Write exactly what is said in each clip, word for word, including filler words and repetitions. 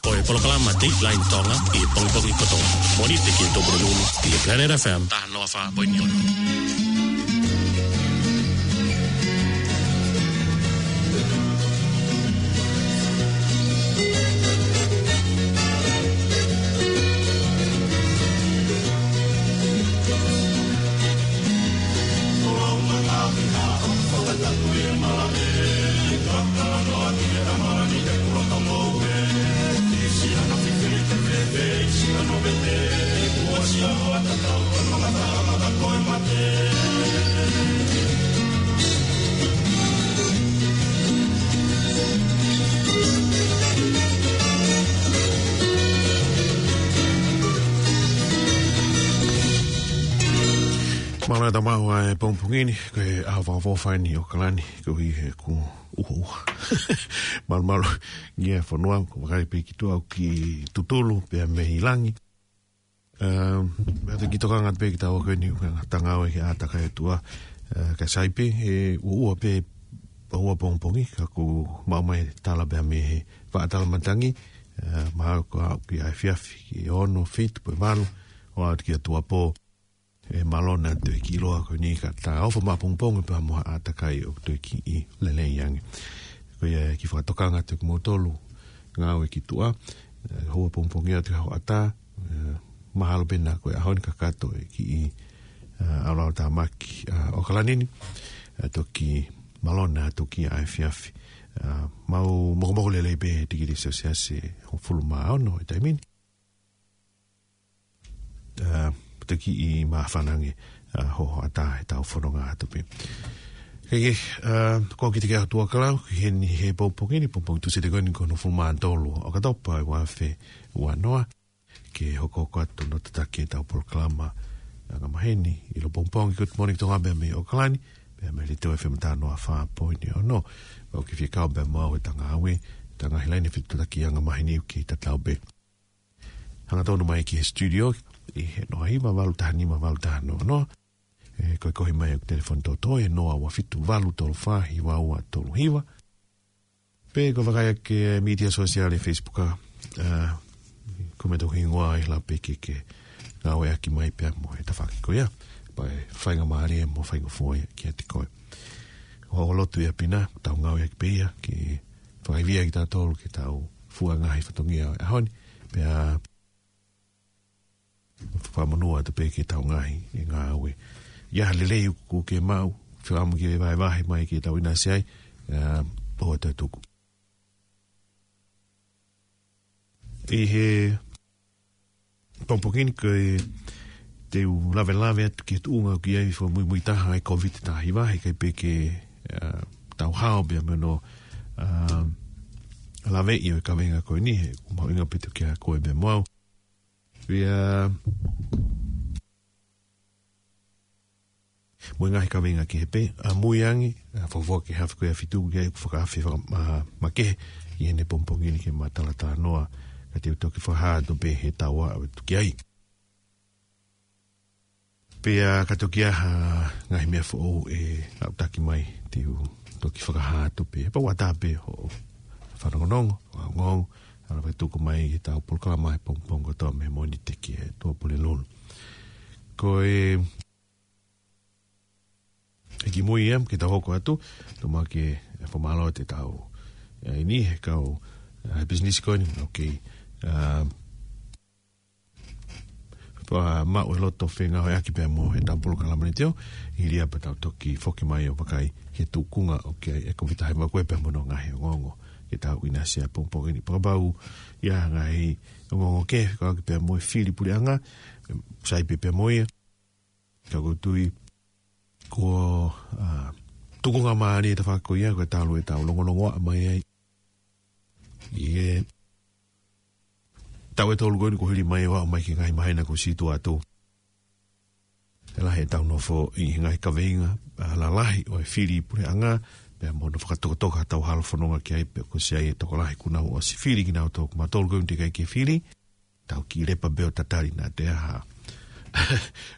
Ko e polokalama Dateline Tonga ʻi he pongipongi kotoa. Mōnite ki he Tōpule Lulu ʻi he Planet F M taha noa fā poini ono. Mālō e tau maʻu ʻa e pongipongi ni, ko e ʻaho fakaʻofoʻofa eni ʻi ʻAokalani, koeʻuhi he kuo ʻuha ʻuha. Malu malu, ngia fonua, ko vakai pē ki tuʻa ʻoku tutulu pē mei langi. Um, ʻa e kiʻi tokanga pē ki he tau ako eni, ʻoku tangau e ke ʻātakai atu ā, uh, ka sai pē, he ʻuha ʻuha pē, ʻuha pongipongi, ka kuo maʻu mai tala pē mei he faʻa tala matangi, uh, mahalo ko e aʻu ki he efiafi, ki he ono, fitu, pe valu, ʻo aʻu ki he tuʻuapō, ʻe mālō ʻaupito e kiʻi ʻiloa ko eni ka ta ofo mai pongipongi pea mo ha ʻātakai ʻoku toe kiʻi lelei ange. Ko ia e kiʻi fakatokanga atu kia moutolu ngāue ki tuʻa, ē, ʻuha pongipongi atu ki he hoʻatā, ē, mahalo pē naʻa ko e ʻaho ni kakato e kiʻi, ē, ʻalu ʻo tāmaki, ē, ʻAokalani ni, ē, toki mālō ʻaupito ki he efiafi. Ē, mau mokomoko lelei pē he tikili Selsiasi ʻe hongofulu mā ono he taimi ni. Ā, toki māfana ange, ā, hoʻatā he tau fononga atu pē. Ke, ke, ā, ko e kiʻi teke atu ʻa e lau, ki heni he pongipongi ni, pongipongi Tūsite ko eni ko hono hongofulu mā tolu ʻo ʻOkatopa ʻo e ua afe ua noa, ke hokohoko atu hono tataki e tau polokalama angamaheni, ʻi he pongipongi Good Morning Tonga pea mei ʻAokalani, pea mei he Leitiō F M taha noa fā poini ono, ʻoku ke fie kau pē mo au he tau ngāue, tau ngaahi laine fetuʻutaki angamaheni ʻoku kei tatau pē. Hangatonu mai ki he studio, ʻi he noa hiva valu taha nima valu taha noa noa. Ē, ko e kohi mai ʻeku telefoni tōtō, ʻe noa ua fitu valu tolu fā hiva ua tolu hiva. Pe ko e vakai ʻaki e media sosiale Facebook ā, ā, ko e meʻa tau hingoa ai la pe ke ke ngāueʻaki mai pea mo e tafaʻaki ko ia. Pea ʻe faingamālie mo faingofua ia kiate koe. ʻOku ou lotu ia pina, tau ngāueʻaki pē ia, ke fakaivia kitautolu ke tau fua ngaahi fatongia ʻo e ʻaho ni, pea fakamonū atu pē ke tau ngaahi e ngāue. ʻI ai ha lelei ʻoku ke maʻu, fakaʻamu ke vahevahe mai ke tau ʻinasi ai, ā, ʻoua toe tuku. ʻI he pongipongi ni ko e te u lavelave atu ki he tuʻunga ʻoku ʻi ai fakamuimui taha ʻa e Covid taha hiva, heʻikai pē ke, ā, tau hao pea mo hono, ā, laveʻi ʻo e kaveinga ko eni, he ʻoku mahuʻinga pē ʻiate koe pea mo au. Pea mo e ngaahi kaveinga kehe pē, ʻamui ange, ā, fakafoki he afe ko ia ʻe fitu, ke ʻoku fakaafe faka-, ā, makehe ʻi heʻene pongipongi ni ke ma talatalanoa, ka te u toki fakahā atu pē he taua ʻo e tuki ai. Pea ka toki ʻi ai ha ngaahi meʻa foʻou ʻe aʻutaki mai, te u toki fakahā atu pē, pea ʻoua ʻe tā pē hoʻo fanongonongo, hoʻo ongoongo, ʻalu ʻo tuku mai ki he tau polokalama he pongipongi kotoa mei Mōnite ki he Tuʻapulelulu. Ko e, ʻe kimui ia, ke tau hoko atu, tau maʻu ke fakamālō atu e tau, ē, ʻi he kau, ē, business ko eni, ʻoku kei, ā, pea maʻu e loto fengāueʻaki pea mo e tau polokalama ni teo, ʻi he ʻaho pea tau toki foki mai ʻo vakai ki he tuʻunga ʻoku ʻi ai e Covid taha hiva ko ē pea mo hono ngaahi ongoongo ke tau ʻinasi ai he pongipongi ni. Pea kapau ʻe ʻi ai ha ngaahi ongoongo kehe, fekauʻaki pea mo e fili puleʻanga, sai pē pea mo ia. Ka ʻoku ou tui ko, ā, tukunga mālie e tafaʻaki ko ia, ko e talu e tau longolongoaʻa mai ai. ʻI he taʻu ʻe tolu ko eni kuo hili mai ʻo aʻu mai ki he ngaahi māhina kuo sītuʻa atu. ʻE lahi e tau nofo ʻi he ngaahi kaveinga, ā, lalahi ʻo e fili puleʻanga, pea mo hono fakatokatoka ha tau halafononga ki ai, pea kuo ʻosi ʻi ai e tokolahi kuo nau ʻosi fili kinautolu, ko mautolu ko eni teʻeki ai ke fili, tau kiʻi lepa pē ʻo tatali naʻa toe ʻi ai ha,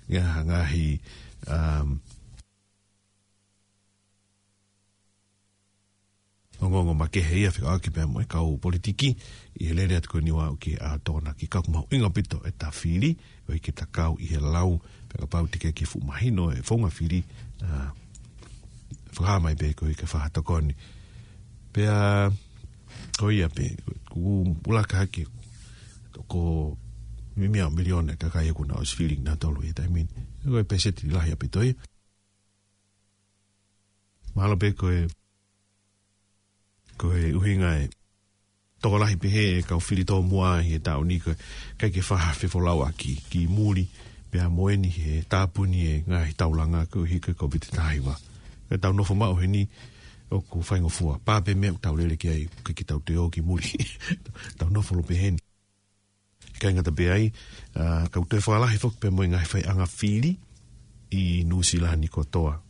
ngaahi, ngaahi, um, ongoongo makehe ia fekauʻaki pea mo e kau politiki, ʻi he lele atu ko eni ʻo aʻu ki he ʻaho Tokonaki. Ka ʻoku mahuʻinga ʻaupito ʻeta fili, ʻo ʻikai ke ta kau ʻi he lau, pea kapau te ke ke fuʻu mahino e founga fili, ʻa, fakahā mai pē koe ke fakatokoni. Pea, ko ia pē, ʻoku ʻuluaki hake, ko e meimei miliona e kakai ʻoku nau ʻosi fili kinautolu he taimi ni. Ko e peseti lahi ʻaupito ia. Mahalo pē ko e, ko e ʻuhinga e tokolahi pehē e kau fili tōmuʻa ʻi he taʻu ni ko e ʻikai ke faʻa fefolauʻaki ki muli, pea mo eni he tāpuni e ngaahi taulanga koeʻuhi ko e Kōviti taha hiva. Ka tau nofo maʻu heni ʻoku faingofua. Pā pē meʻa ʻoku tau lele ki ai, ʻikai ke tau toe ō ki muli. Tau nofo lōpeheni. ʻIkai ngata pē ai, ʻa, ka ʻoku toe fakalahi foki pē mo e ngaahi faiʻanga fili ʻi Nuʻusila ni kotoa.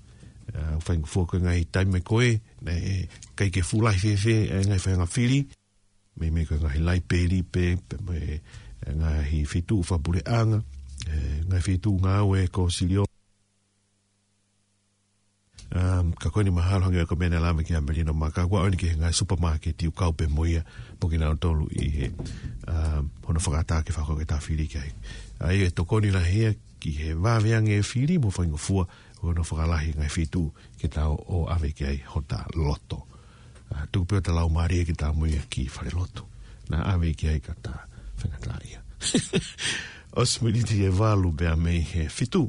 ʻA, faingofua ko e ngaahi taimi ko ē, naʻe ʻikai ke fuʻu lahi fēfē e ngaahi faiʻanga fili, meimei ko e ngaahi laipeli pē, pea mo e, e ngaahi feituʻu fakapuleʻanga, e ngaahi feituʻu ngāue ko Silio. Um, ka ko eni mahalo hangē ko e meʻa naʻe lave ki ai Melino Maka, ʻoku ʻaonga ki he ngaahi supermarket ʻoku kau pē mo ia, mo kinautolu ʻi he, um, hono fakaʻatā ke fakahoko ʻeta fili ki ai. ʻA ia ʻe tokoni lahi ia ki he vave ange e fili mo faingofua, hono fakalahi ngaahi feituʻu ke tau ō ʻave ki ai hota loto. ʻA, tuku pē ʻo ta lau mālie ke ta ō mo ia ki falelotu. Naʻa ʻave ki ai ka ta faingataʻaʻia. ʻOsi miniti ʻe valu pea mei he fitu.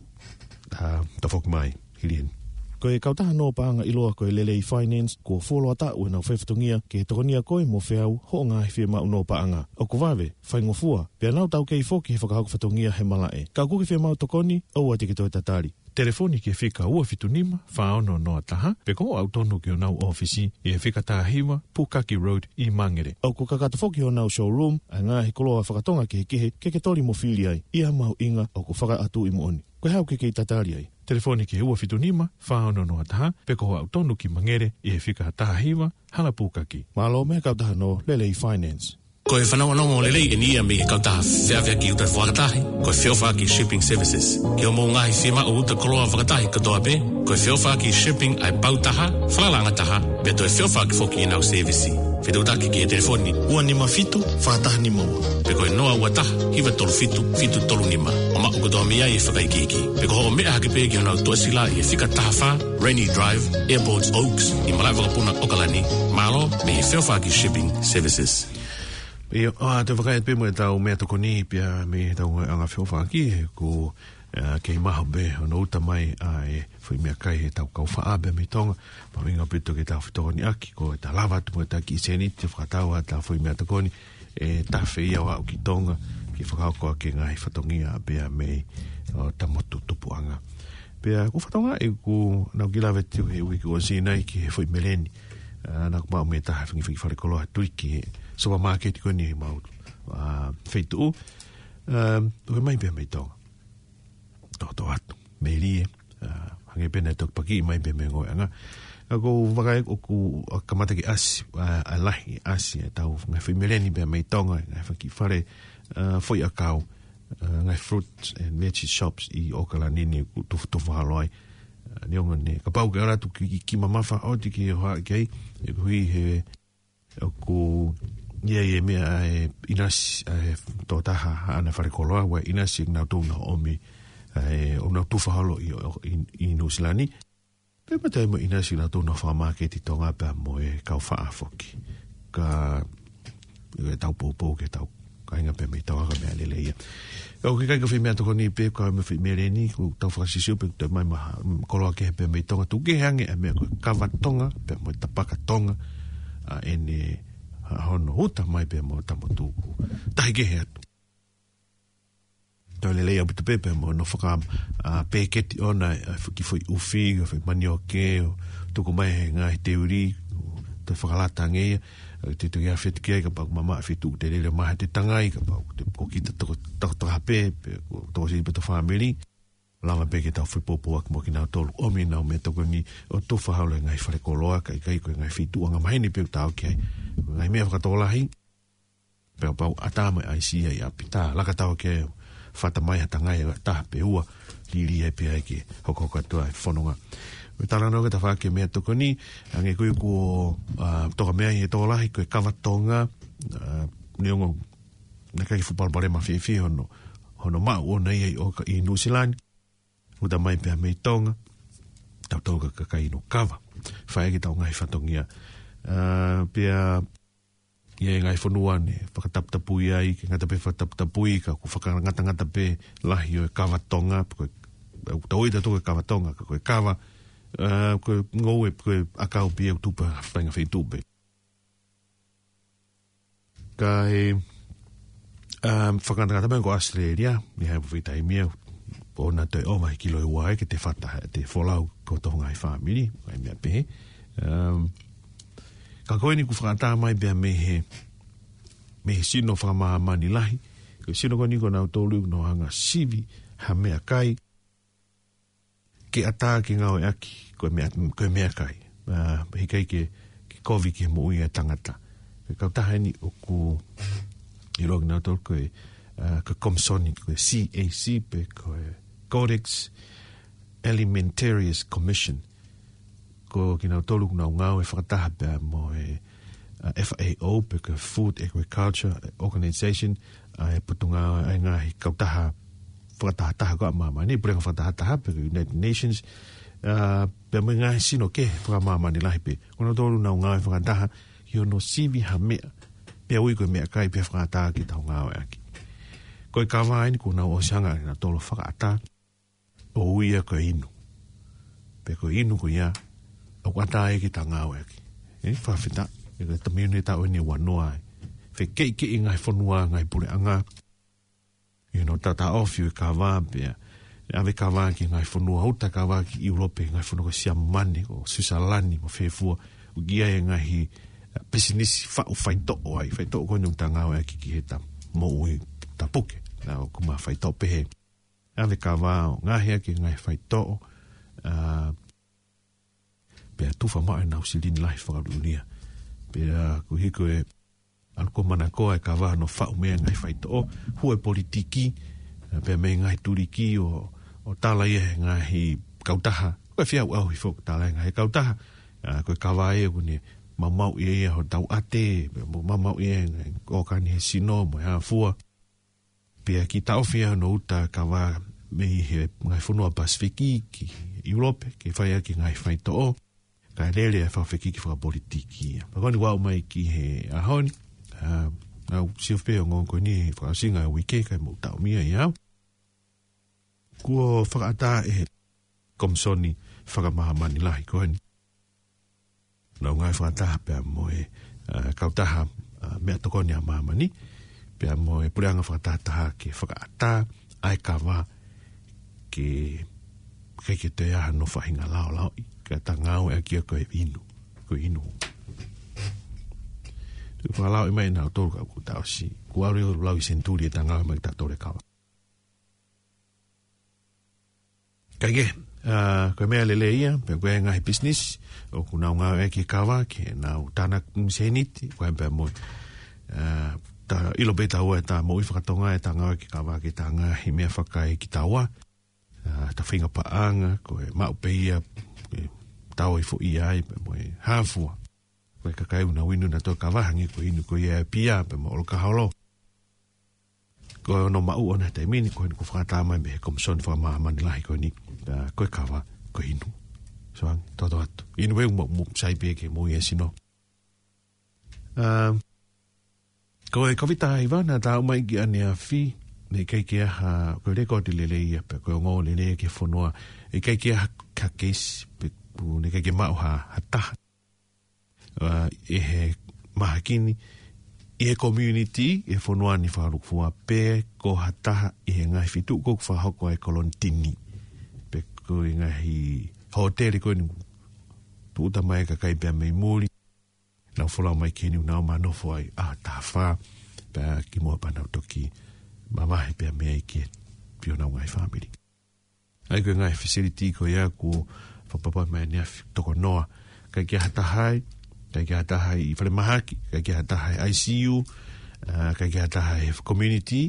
ʻA, tafoki mai, hili eni. Ko e kautaha nō paʻanga ʻiloa ko e Lelei Finance, kuo fuoloa taʻu ʻenau faifatongia ke tokonia koe mo feau hoʻo ngaahi fiemaʻu nō paʻanga. ʻOku vave, faingofua, pea nau taukei foki he fakahoko fatongia he malaʻe. Ka ʻoku ke fiemaʻu tokoni, ʻoua te ke toe tatali. Telefoni ki he fika ua fitu nima, fā ono noa taha, pe ko e ʻalu tonu ki honau ʻōfisi ʻi he fika taha hiva, Pukaki Road ʻi Mangere. ʻOku kakato foki honau showroom ʻa e ngaahi koloa fakatonga kehekehe ke ke toli mo fili ai. ʻI ha mahuʻinga ʻoku fakaʻatuʻi moʻoni. Ko e hā ʻoku ke kei tatali ai? Telefoni ki he ua fitu nima, fā ono noa taha, pe ko e ʻalu tonu ki Mangere ʻi he fika taha hiva, Hala Pukaki. Mālō mei he kautaha nō Lelei Finance. Ko e fanongonongo lelei eni ia mei he kautaha feʻaveʻaki uta fakatahi, ko e Feʻofaʻaki Shipping Services. Ki hoʻomou ngaahi fiemaʻu uta koloa fakatahi kotoa pē, ko e Feʻofaʻaki Shipping ʻa e pau taha, falalaʻanga taha, pea toe feʻofaʻaki foki ʻenau sēvisi. Fetuʻutaki ki he telefoni ua nima fitu, fā taha nima ua, pe ko e noa ua taha, hiva tolu fitu, fitu tolu nima. ʻO maʻu kotoa mei ai e fakaikiiki. Pe ko hoʻo meʻa hake pē ki honau tuʻasila ʻi he fika taha fā, Rainy Drive, Airport Oaks, ʻi malaʻe vakapuna ʻOkalani, mālō mei he Feʻofaʻaki Shipping Services. ʻIo, ʻa, te u vakai atu pē mo ʻetau meʻatokoni pea mei heʻetau ngaahi anga feʻofaʻaki, he ʻoku, ʻa, kei maho pē hono uta mai ʻa e foʻi meʻakai heʻetau kau faʻa pea mei Tonga, mahuʻinga ʻaupito ke tau fetokoniʻaki, ko ʻeta lava atu mo ʻeta kiʻi sēniti ʻo fakatau ʻetau foʻi meʻatokoni, ʻe tafe ia ʻo aʻu ki Tonga, ke fakahoko ʻaki e ngaahi fatongia pea mei, ʻo, ʻeta motu tupuʻanga. Pea, ʻoku ou fakatokangaʻi ʻoku nau kiʻi lave atu he uike kuo ʻosi nai ki he foʻi meleni, ʻa, naʻa ku maʻu mei he taha fengifengi falekoloa tuli ki he supermarket ko eni ʻi homau, ʻa, feituʻu. ʻA, ʻoku ʻomai pē mei Tonga. Toʻotoʻo atu. Melie, ʻa, hangē pē naʻe toki pakiʻi mai pē mei he ngoueʻanga. ʻA, ʻoku ou vakai ʻoku, ʻa, kamata ke ʻasi, ʻa, ʻa e lahi ʻasi ʻetau ngaahi foʻi meleni pea mei Tonga, ngaahi faki fale, ʻa, foʻi ʻakau, ʻa, ngaahi fruits and veggie shops ʻi ʻOkalani ni ʻoku tufotufohalo ai. ʻA, neongo eni, kapau ke ʻalu atu ki, ki, ki mamafa ʻoku ʻikai ke ʻohake ai, ʻe koeʻuhi he ʻoku ʻi ai e meʻa ʻa e ʻinasi, ʻa e tokotaha haʻana falekoloa, ʻoku ʻinasi kinautolu ʻoku nau ʻomi, ʻa e, ʻoku nau tufohalo ʻi, ʻi, ʻi Nuʻusila ni. Pea mata mo e ʻinasi kinautolu ʻoku nau fakamāketi ʻi Tonga pea mo e kau faʻa foki. Ka, ʻoku tau poupou ki heʻetau kāinga pea mei Tonga, ko e meʻa lelei ia. ʻOku ʻikai ko e foʻi meʻatokoni pē, ko e foʻi meleni, ʻoku tau fakasisio pē, toe ʻomai maha, mm, koloa kehe pea mei Tonga, tuku kehe ange ʻa e meʻa ko e kava Tonga, pea mo e tapaka Tonga, ʻa ʻene, ʻa hono uta mai pea mo ʻeta motu ʻoku tahi kehe atu. Toe lelei ʻaupito pē pea mo hono faka, ʻa, peketi ʻona, ʻa, kiʻi foʻi ʻufi, ʻo foʻi manioke, ʻo tuku mai he ngaahi teuli, ʻo toe fakalata ange ia, ʻa, te te kia fetu kia, kapau ʻoku mamaʻo feituʻu te lele mai ha te tangai, kapau ʻoku te ko kita toko, toko, toko hape, pe, ko toko siʻi pe to fāmili. Lava pē ke tau foʻi poupou atu mo kinautolu, ʻomi ʻenau meʻatokoni ʻo tufohalo e ngaahi falekoloa, kae ʻikai ko e ngaahi feituʻu angamaheni pē ʻoku tau ki ai. Ngaahi meʻa fakatokolahi, pea kapau ʻatā mo e ʻaisi ia ʻi ʻapi, tā laka tau ke fata mai ha tangai ʻe taha pe ua, lili ai pē ai ke hokohoko atu ʻa e fononga. Ko e talanoa ke ta fai ki he meʻatokoni, hangē ko ia kuo, ā, toka mei ai e tokolahi, ko e kava Tonga, ā, neongo naʻe ʻikai fuʻu palopalema fiefia hono, hono maʻu ʻona ia ʻi ʻOka-, ʻi Nuʻusila ni. Uta mai pea mei Tonga, tautolu ko e kakai inu kava. Fai ki heʻetau ngaahi fatongia. Ā, pea ʻi he ngaahi fonua ne fakataputapui ai, ʻikai ngata pē fakataputapui, ka ʻoku fakangatangata pē lahi ʻo e kava Tonga, ko e, ʻoku tau ʻilo tautolu ko e kava Tonga, ka ko e kava, ā, ko e ngoue, ko e ʻakau pē ia ʻoku tupu he faʻahinga feituʻu pē. Ka ʻi he, ā, fakangatangata mai ko ʻAositelēlia, ʻi he ʻaho fai taimi ia, ʻoku na toe ʻova he kilo ʻe ua ia ke te fata, te folau ki hotau ngaahi fāmili, ʻa e meʻa pehē. Ā, ka ko eni kuo fakaʻatā mai pea mei he, mei he sino fakamāmani lahi, ko e sino ko eni ko nautolu ʻoku nau hanga ʻo sivi ha meʻakai, ke ʻatā ke ngāueʻaki, ko e meʻa-, ko e meʻakai. Ā, ʻikai ke, ke kovi ki he moʻui ʻa e tangata. Ko e kautaha eni ʻoku ʻiloa kinautolu ko e, ā, ko e komisoni, ko e C A C pe ko e Codex Alimentarius Commission. Ko kinautolu ʻoku nau ngāue fakataha pea mo e, ā, F A O pe ko e Food Agriculture Organization, ʻa e potungāue ʻa e ngaahi kautaha fakatahataha ko ia ʻa māmani, puleʻanga fakatahataha pe ko e United Nations, ā, pea mo e ngaahi sino kehe fakamāmani lahi pē. Ko nautolu ʻoku nau ngāue fakataha ʻi hono sivi ha meʻa, pea ui ko e meʻakai pea fakaʻatā ke tau ngāueʻaki. Ko e kava eni kuo nau ʻosi hanga ʻe nautolu ʻo fakaʻatā, ʻo ui ia ko e inu. Pea ko e inu ko ia, ʻoku ʻatā ia ke tau ngāueʻaki. ʻE, fakafetaʻi, ʻe, ko e taimi ni taʻu eni ʻe uanoa ē. Fekeʻikeʻi ngaahi fonua, ngaahi puleʻanga, ʻi hono taʻotaʻofi ʻo e kava pea, ʻe ʻave kava ki he ngaahi fonua, ʻuta kava ki ʻIulope, ngaahi fonua ko Siamane, ko Suisalani, mo fē fua, ʻoku ʻi ai e ngaahi, ā, pisinisi faʻu faitoʻo ai, faitoʻo ko eni ʻoku tau ngāueʻaki ki heʻeta moʻui tapuke, ā, ʻoku ma faitoʻo pehē. ʻAve kava ʻo ngaohi ʻaki e ngaahi faitoʻo, ā, pea tufa maʻu ʻenau silini lahi fakaluʻia. Pea koeʻuhi ko e ʻalu ko ē ʻo manakoa e kava hono faʻu mei ai e ngaahi faitoʻo, hū e politiki, ā, pea mei he ngaahi tuliki ʻo, ʻo tala ia ʻe he ngaahi kautaha. Ko e feʻauʻauhi foki tala ʻe he ngaahi kautaha, ā, ko e kava ia ʻoku ne maumauʻi ia hotau ʻate, pea mo maumauʻi ia e ngaahi ʻōkani he sino, mo e hā fua. Pea kiʻi taʻofi ia hono ʻuta kava mei he ngaahi fonua Pasifiki ki ʻIulope, ke fai ʻaki e ngaahi faitoʻo, kae lele e fakafekiki fakapolitiki ia. Pea ko eni kuo aʻu mai ki he ʻaho ni, ā, ʻoku ou sio pē ʻoku ongoongo ko eni he fakaʻosinga e uike, ʻikai mou taʻomia ia. Kuo fakaʻatā ʻe he komisoni fakamāmani lahi ko eni. Nau ngāue fakataha pea mo e, ā, kautaha, ā, meʻatokoni ʻa māmani, pea mo e puleʻanga fakatahataha ke fakaʻatā ʻa e kava ke, ke, ke toe ʻi ai hano faʻahinga laolaoʻi, ka ta ngāueʻaki ia ko e inu, ko e inu. Tuku fakalaoʻi mai nautolu ka kuo ta ʻosi, kuo ʻalu ʻo lau ʻi senituli ʻeta ngāue mai kitautolu e kava. Kae kehe, ā, ko e meʻa lelei ia, pea ko e ngaahi pisinisi ʻoku nau ngāueʻaki e kava ke nau tānaki sēniti, ko e pea mo, ā, ta ʻilo pē taua ʻeta moʻui fakatonga ʻeta ngāueʻaki e kava ki heʻeta ngaahi meʻa fakaekitaua, ā, ʻeta faʻahinga paʻanga, ko e maʻu pē ia, e tau ʻi foʻi ai, pea mo e hā fua. Ko e kakai ʻoku nau inu nautolu e kava hangē ko e inu ko ia e pia, pea mo e ʻolokaholo. Ko hono maʻu ʻona he taimi ni, ko eni kuo fakaʻatā mai mei he komisoni fakamāmani lahi ko eni, ā, ko e kava, ko e inu. So, ʻoange, toto atu. Inu ē mo, mo sai pē ke moʻui e sino. Ā, ko e Kōviti taha hiva naʻa tau ʻomai ki ʻaneafi, naʻe ʻikai ke ʻi ai ha, ko e lēkooti lelei ia, pe ko e ongoongo lelei ki he fonua, ʻikai ke ʻi ai ha, ha keisi, pe ʻoku, naʻe ʻikai ke maʻu ha, ha taha. Ā, ʻi he mahaki ni, ʻi he community, ʻi he fonua ni fakalūkufua pe ko ha taha ʻi he ngaahi feituʻu ko ē ʻoku fakahoko ai e kolonitini. Pe ko e ngaahi hōtele ko eni, tūʻuta mai e kakai pea mei muli, nau folau mai ki heni ʻo nau ō ʻo nofo ai ʻaho taha fā, pea kimuʻa pea nau toki mavahe pea mei ai ki he, ki honau ngaahi fāmili. ʻA ia ko e ngaahi facility ko ia kuo fakapapauʻi mai ʻaneafi toko noa. ʻIkai ke ʻi ai ha taha ai, ʻikai ke ʻi ai ha taha ʻi falemahaki, ʻikai ke ʻi ai ha taha ʻi I C U, ā, ʻikai ke ʻi ai ha taha he community,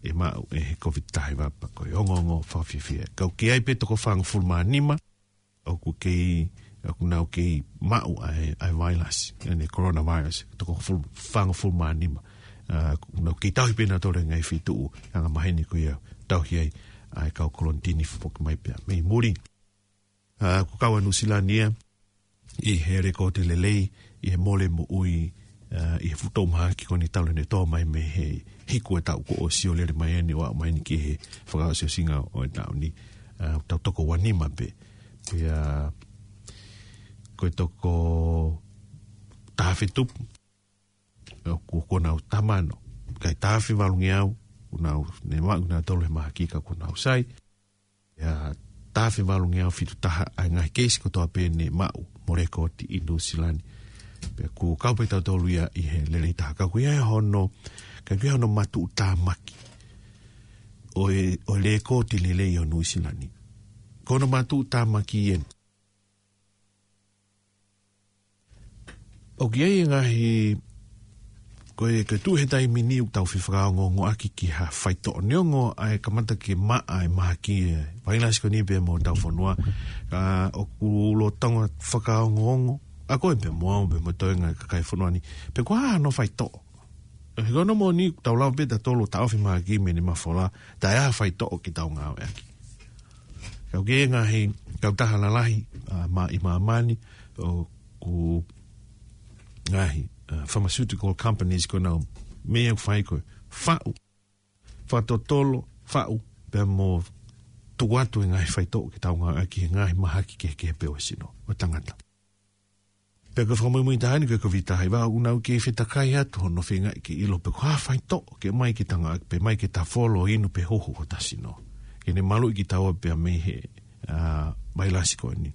ʻe maʻu ʻe he Kōviti taha hiva pea ko e ongoongo fakafiefia. Ka ʻoku ʻi ai pē toko fāngofulu mā nima, ʻoku kei, ʻoku nau kei maʻu ʻa e, ʻa e vailasi, ʻa e coronavirus, toko fulu, fāngofulu mā nima. ʻA, ʻoku nau kei tauhi pē nautolu he ngaahi feituʻu angamaheni ko ia, tauhi ai ʻa e kau kolonitini foki mai pea mei muli. ʻA, ʻoku kau ʻa Nuʻusila ni ia ʻi he lekooti lelei, ʻi he mole moʻui, ʻa, ʻi he fuʻu toʻu mahaki ko eni talu ʻene tō mai mei he hiku e taʻu kuo ʻosi ʻo lele mai eni ʻo aʻu mai eni ki he fakaʻosiʻosinga ʻo e taʻu ni. ʻA, tau toko ua nima pē. Pea, ko e toko taha afe tupu, ʻoku, ko honau tama ʻana, kae taha afe valungeau, ko honau ne maʻu nautolu he mahaki ka ko honau sai. ʻA, taha afe valungeau fitu taha ʻa e ngaahi keisi kotoa pē ne maʻu mo lekooti ʻi Nuʻusila ni. Pea ʻoku kau pē tautolu ia ʻi he lelei taha. Ka ʻoku ʻi ai hono, ka ʻoku ʻi ai hono matuʻutāmaki ʻo e, ʻo e lekooti lelei ʻo Nuʻusila ni. Ko hono matuʻutāmaki eni. ʻOku ʻi ai e ngaahi, ko e, ko e tuʻu he taimi ni ʻoku tau fefakaongoongoʻaki ki ha faitoʻo neongo ʻa e kamata ke maʻa e mahaki e vailasi ko eni pea mo hotau fonua. Ka ʻoku lolotonga fakaongoongo, ʻa koe pea mo au pea mo e toenga e kakai e fonua ni, pe ko e hā hano faitoʻo. He ko hono moʻoni, tau lava pē tautolu ʻo taʻofi mahaki mei heʻene mafola, taʻe ʻi ai ha faitoʻo ke tau ngāueʻaki. Ka ʻoku ʻi ai e ngaahi kautaha lalahi, ʻa, mā-, ʻi māmani, ʻoku ngaahi, ʻa, pharmaceutical companies ko ʻenau meʻa ʻoku fai ko e faʻu, fakatotolo, faʻu, pea mo tuku atu e ngaahi faitoʻo ke tau ngāueʻaki he ngaahi mahaki kehekehe pē ʻo e sino ʻo e tangata. Pea ko e fakamuimui taha eni ko e Kōviti taha hiva, ʻoku nau kei fetakai atu hono feingaʻi ke ʻilo pe ko e hā faitoʻo ke ʻomai ke tau ngāueʻaki pe ʻomai ke tau folo inu pe huhu hotau sino, ke ne maluʻi kitaua pea mei he, ʻa, vailasi ko eni.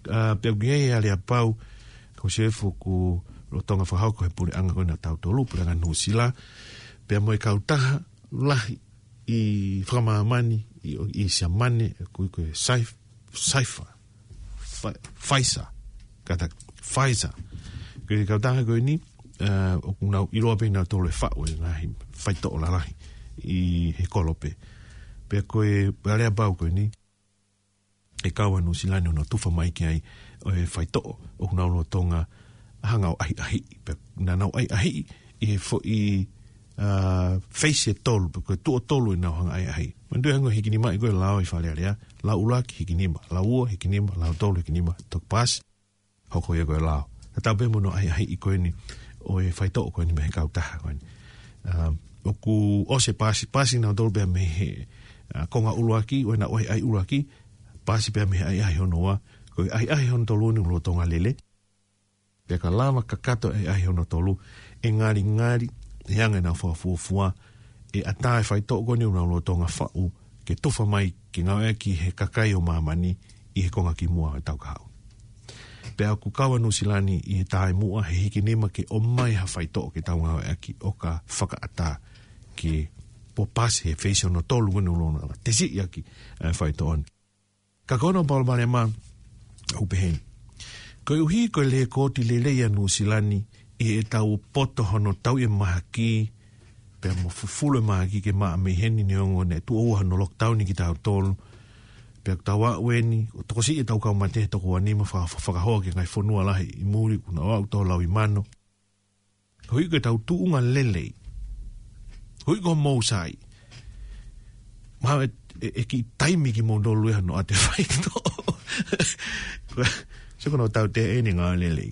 ʻA, pea ʻoku ʻi ai e aleapau, ko Sefu ʻoku lolotonga fakahoko he puleʻanga ko ena ʻa tautolu, puleʻanga Nuʻusila, pea mo e kautaha lahi ʻi fakamāmani, ʻi, ʻi Siamane, ʻoku ui ko e Saif-, Saifa, Fa-, Pfizer, kātaki, Pfizer. Ko e kautaha ko eni, ʻa, ʻoku nau ʻiloa pē nautolu e faʻu e ngaahi faitoʻo lalahi ʻi he kolope. Pea ko e aleapau ko eni, ʻe kau ʻa Nuʻusila ni hono tufa mai ki ai ʻo e faitoʻo ʻoku nau lolotonga hanga ʻo ʻahiʻahiʻi. Pea naʻa nau ʻahiʻahiʻi ʻi he foʻi, ʻa, phase ʻe tolu, pe ko e tuʻo tolu ʻenau hanga ʻahiʻahiʻi. Manatuʻi hangē ko e hikinimaʻi ko e lao ʻi Fale Alea, lao ʻuluaki hikinima, lao ua hikinima, lao tolu hikinima, toki paasi, hoko ia ko e lao. Tatau pē mo hono ʻahiʻahiʻi ko eni ʻo e faitoʻo ko eni mei he kautaha ko eni. ʻA, ʻoku ʻosi e paasi, paasi nautolu pea mei he, ʻa, konga ʻuluaki, ʻo ʻenau ʻahiʻahi ʻuluaki, paasi pea mei he ʻahiʻahi hono ua, ko e ʻahiʻahi hono tolu eni ʻoku lolotonga lele. Pea ka lava kakato e ʻahiʻahi hono tolu, ʻe ngalingali, ʻe anga ʻenau fakafuofua, ʻe ʻatā e faitoʻo ko eni ʻoku nau lolotonga faʻu, ke tufa mai ke ngāueʻaki he kakai ʻo māmani ʻi he konga kimuʻa ʻo e taʻu kahaʻu. Pea ʻoku kau ʻa Nuʻusila ni ʻi he taimi muʻa he hikinima ke ʻomai ha faitoʻo ke tau ngāueʻaki ʻo ka fakaʻatā ke po paasi he phase hono tolu ko eni ʻoku lolotonga tesiʻi ʻaki ʻa e faitoʻo ni. Ka ko hono palopalema ʻoku pehē ni. Koeʻuhi ko e lekooti lelei ʻa Nuʻusila ni ʻi heʻetau poto hono tauʻi e mahaki, pea mo fufulu e mahaki ke maʻa mei heni neongo naʻe tuʻo ua hono lockdown ʻi kitautolu. Pea ʻoku tau aʻu eni, ʻo tokosiʻi ʻetau kau mate he toko ua nima faka-, fakahoa ki he ngaahi fonua lahi ʻi muli, kuo nau aʻu toko lau ʻi mano. Koeʻuhi ko ʻetau tuʻunga lelei. Koeʻuhi ko hoʻomou sai. Mahalo ʻe, ʻe, ʻe kiʻi taimi kimoutolu ia hono ʻoatu e faitoʻo. Ko, sio ko hono tautea eni e ngāue lelei.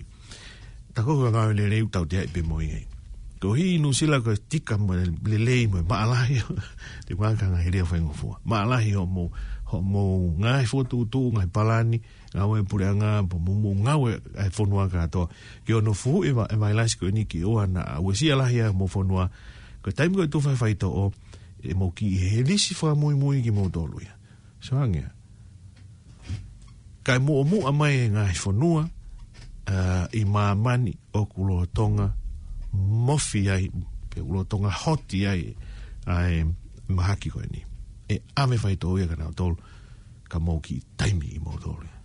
Taku ko e ngāue lelei ʻoku tauteaʻi pē mo ia. Koeʻuhi ʻi Nuʻusila ko e tika mo e lelei mo e maʻalahi. Te maka ngaahi lea faingofua. Maʻalahi hoʻomou, hoʻomou ngaahi fokotuʻutuʻu, ngaahi palani, ngāue puleʻanga, pea mo hoʻomou ngāue ʻa e fonua kātoa. Ki hono fuhuʻi e va-, e vailasi ko eni ke ʻoua naʻa uesia lahi ʻa homou fonua. Ko e taimi ko ē ʻe tufa e faitoʻo, ʻe mou kiʻi lisi fakamuimui kimoutolu ia. Sio ange ia. Kae muʻomuʻa mai e ngaahi fonua, ʻa, ʻi māmani ʻoku lolotonga mofi ai, pe ʻoku lolotonga hoti ai, ʻa e mahaki ko eni. ʻE ʻave faitoʻo ia kia nautolu, ka mou kiʻi taimi kimoutolu ia.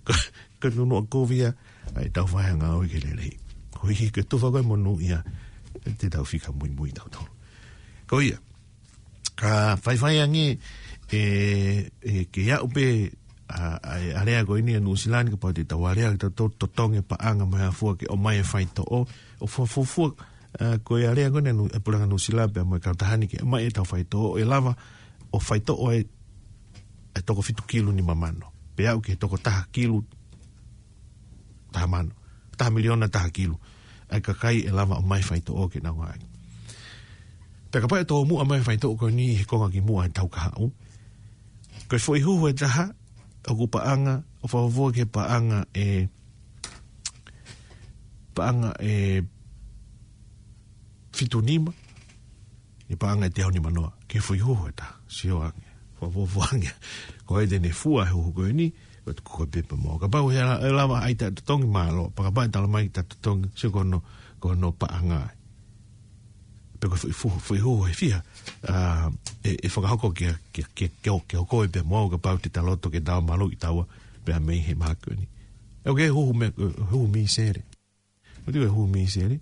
Ko, ko e nunuʻa kovi ia ʻa ʻetau fai ha ngāue ke lelei. Koeʻuhi ko e tufa ko ē e monū ia, te tau fika muimui tautolu. Ko ia, ka faifai ange, ʻE, ʻe, ke aʻu pē ʻa, ʻa, ʻa e alea ko eni ʻa Nuʻusila ni, kapau te tau alea, ke tau to-, totongi e paʻanga mo e hā fua ke ʻomai e faitoʻo, ʻo fuafua, ʻa, ko e alea ko eni ʻa Nu-, ʻa e puleʻanga Nuʻusila pea mo e kautaha ni ke ʻomai ʻetau faitoʻo, ʻe lava ʻo faitoʻo e, e toko fitu kilu nima mano. Pea aʻu ki he toko taha kilu taha mano, taha miliona taha kilu ʻa e kakai ʻe lava ʻo ʻomai faitoʻo ke nau ngāueʻaki. Pea kapau ʻe tōmuʻa mai faitoʻo ko eni he konga kimuʻa he tau kahaʻu, ko e foʻi huhu ʻe taha, ʻoku paʻanga, ʻo fuafua ki he paʻanga ʻe, paʻanga ʻe fitu nima, ʻe paʻanga ʻe teau nima noa, ki he foʻi huhu ʻe taha, sio ange, fuafua ange. Ko e te ne fua he huhu ko eni, ʻo te kuka pepa mo. Kapau he la-, ʻe lava ʻai ta totongi mālō, pea kapau ʻe tala mai ta totongi, sio ko hono, ko hono paʻanga. Pe ko e foʻi fu-, foʻi huhu ʻe fiha, ʻa, ʻe, ʻe fakahoko kia, kia, kia, kia, kia koe pea mo au kapau te ta loto ke tau malu ʻi taua, pea mei he mahaki ko eni. ʻOku huhu mei, huhu mīsele. ʻOku huhu mīsele,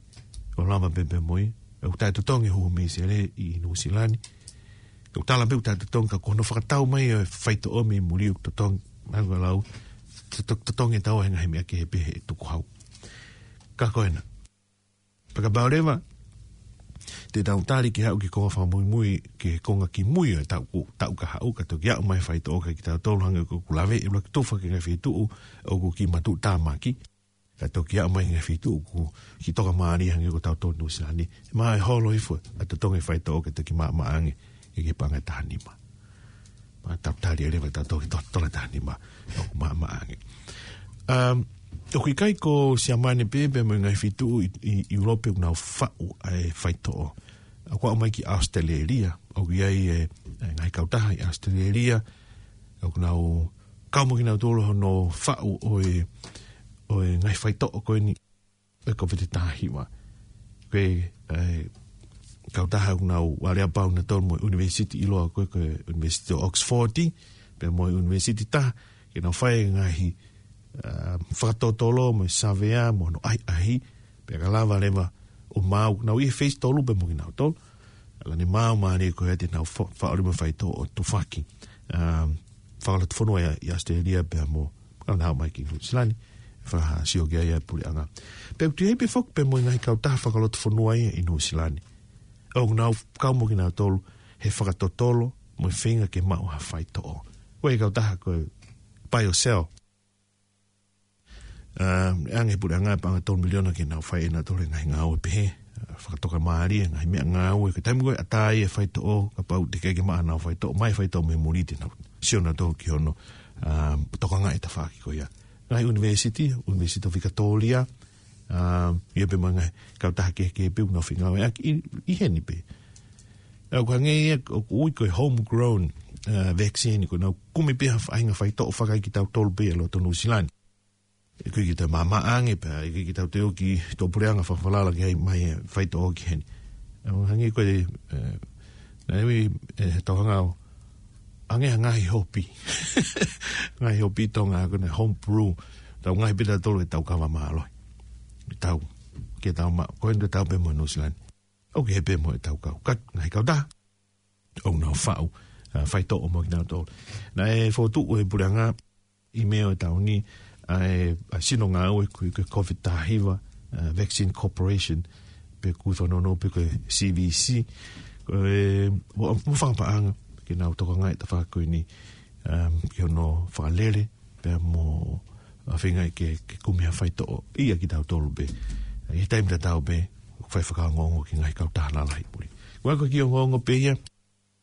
ʻoku lava pē pea mo ia. ʻOku taʻetotongi huhu mīsele ʻi Nuʻusila ni. ʻOku tala pē ʻoku taʻetotongi ka ko hono fakatau mai ʻo e faitoʻo mei muli ʻoku totongi, naʻa ku lau, to-, to-, totongi taua he ngaahi meʻa kehe pē he tukuhau. Ka ko ena. Pea kapau leva te tau tali ke aʻu ki he konga fakamuimui, ki he konga kimui ʻo e taʻu, taʻu kahaʻu ka toki aʻu mai faitoʻo kia kitautolu hangē ko ʻeku lave, ʻe ʻuluaki tufa ki he ngaahi feituʻu ʻoku kiʻi matuʻutāmaki. Ka toki aʻu mai ki he ngaahi feituʻu ʻoku kiʻi tokamālie hangē ko tautolu Nuʻusila ni. Mahalo ʻe holo hifo ʻa e totongi faitoʻo ke toki maʻamaʻa ange ki he paʻanga ʻe taha nima. Pea tau tali leva tautolu ki he to-, tola taha nima ʻoku maʻamaʻa ange. Um, ʻoku ʻikai ko Siamane pē, pea mo e ngaahi feituʻu ʻi, ʻi, ʻi ʻIulope ʻoku nau faʻu ʻa e faitoʻo. ʻOku aʻu mai ki ʻAositelēlia, ʻoku ʻi ai e, e ngaahi kautaha ʻi ʻAositelēlia, ʻoku nau kau mo kinautolu hono faʻu ʻo e, ʻo e ngaahi faitoʻo ko eni ʻo e Kōviti taha hiva. Ko e, e, kautaha ʻoku nau aleapau nautolu mo e ʻunivēsiti ʻiloa ko e, ko e ʻUnivēsiti ʻo Oxford, pea mo e ʻunivēsiti taha, ke nau fai e ngaahi, ʻa, fakatotolo mo e savea mo hono ʻahiʻahi, pea ka lava leva ʻo maau, nau ʻi he phase tolu pea mo kinautolu. ʻA ia naʻe maau mālie ko ia te nau fa-, faʻu leva e faitoʻo ʻo tufaki, um, fakalotofonua ʻi, ʻi ʻAositelēlia pea mo, ka nau mai ki Nuʻusila ni, fakasio ki ai ʻa e puleʻanga. Pea ʻoku toe ʻi ai pē foki pea mo e ngaahi kautaha fakalotofonua ia ʻi Nuʻusila ni. ʻOku nau kau mo kinautolu he fakatotolo mo e feinga ke maʻu ha faitoʻo. Ko e kautaha ko e BioCell. ʻA, ʻe ʻange puleʻanga paʻanga tolu miliona ke nau fai ʻe nautolu e ngaahi ngāue pehē. ʻA, fakatokamālie e ngaahi meʻangāue. Ko e taimi ko ē ʻe ʻatā ai e faitoʻo, kapau te ke ke maʻu haʻanau faitoʻo, ʻomai faitoʻo mei muli te nau sio nautolu ki hono, ʻa, tokangaʻi e tafaʻaki ko ia. Ngaahi ʻunivēsiti, ʻUnivēsiti ʻo Vikatōlia, ʻa, ʻi ai pē mo e ngaahi kautaha kehekehe pē ʻoku nau fengāueʻaki ʻi, ʻi heni pē. ʻA, ʻoku hangē ia ʻoku ui ko e homegrown, ʻa, vaccine, ko ʻenau kumi pē ha faʻahinga faitoʻo fakaʻi kitautolu pē ʻi loto Nuʻusila ni. ʻIkai ke tau maʻamaʻa ange pea, ʻikai ke tau toe ō ki tuʻapuleʻanga fakafalala ke ʻai mai e faitoʻo ki heni. ʻA, hangē ko e, e, naʻe ui, e, he tauhanga ʻo, hangē ha ngaahi hopi. Ngaahi hopi Tonga, ko ʻene homebrew. Tau ngaahi pē tautolu ʻe tau kava mālohi. Tau, ke tau ma-, ko ʻene tau pē mo Nuʻusila ni. ʻOku ʻi ai pē mo e tau kau. Ka, ngaahi kautaha ʻoku nau faʻu, ʻa, faitoʻo mo kinautolu. Naʻe fokotuʻu ʻe he puleʻanga ʻi Mē ʻo e taʻu ni, ʻa e, ʻa e sino ngāue ko e, ko e Kōviti taha hiva, ʻa, Vaccine Corporation, pe ʻoku fanongo pē ko e C V C, ko e, mo, mo fakapaʻanga, ke nau tokangaʻi e tafaʻaki ko eni, um, ki hono fakalele, pea mo, ʻa, feinga ke, ke kumi ha faitoʻo, ʻia kitautolu pē. ʻI he taimi tatau pē, ʻoku fai fakaongoongo ki he ngaahi kautaha lalahi puli. Ko e kiʻi ongoongo pē ia,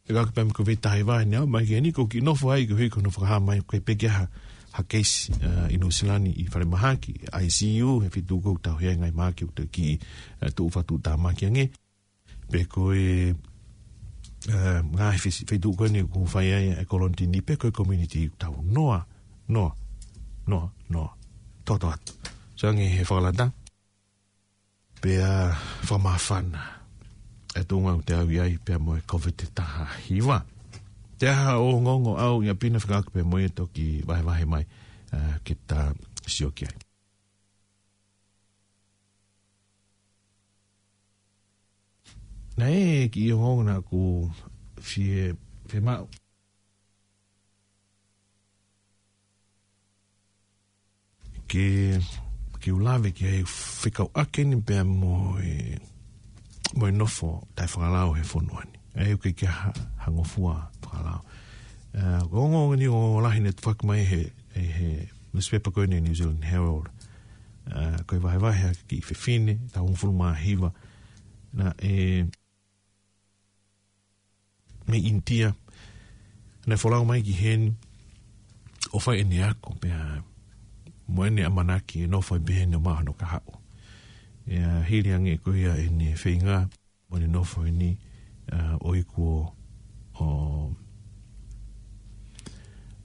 ʻe kau ki pea mo e Kōviti taha hiva ni, ʻa, mai ki heni ʻoku kiʻi nofo ai, ko e hiko hono fakahā mai, ko e peke ha, ha keisi, ʻa, ʻi Nuʻusila ni ʻi falemahaki, I C U, he feituʻu ʻoku tau ʻi ai e ngaahi mahaki ʻoku toe kiʻi, ʻa, tuʻu fakatuʻutāmaki ange. Pe ko e, ʻa, ngaahi fesi-, feituʻu ko eni ʻoku fai ai e kolonitini, pe ko e community ʻoku tau noa, noa, noa, noa, toto atu. Sio ange he fakalata. Pea fakamāfana e tuʻunga ʻoku te ʻalu ai pea mo e Kōviti taha hiva. Te aha hoʻo ongoongo ʻau ia pina fekauʻaki pea mo ia toki vahevahe mai, ʻa, ke ta sio ki ai. Naʻe kiʻi ongoongo naʻa ku fie, fiemaʻu. ke, ke u lave ki he fekauʻaki eni pea mo e, mo e nofo taʻefakalao he fonua ni. ʻA ia ʻoku ʻikai ke ha, ha ngofua fakalao. ʻA, ko e ongo ni ʻoku lahi ʻene tuʻu hake mai he, he, he newspaper ko eni New Zealand Herald. ʻA, ko e vahevahe ʻa e kiʻi fefine, taʻu hongofulu mā hiva. Naʻe mei ʻInitia. Naʻe folau mai ki heni ʻo fai ʻene ako pea mo ʻene ʻamanaki ʻe nofo ai pē heni ʻo maʻu hono kahaʻu. ʻA ia hili ange ko ia ʻene feinga mo ʻene nofo heni, ʻa, ʻo iku ʻo, ʻo,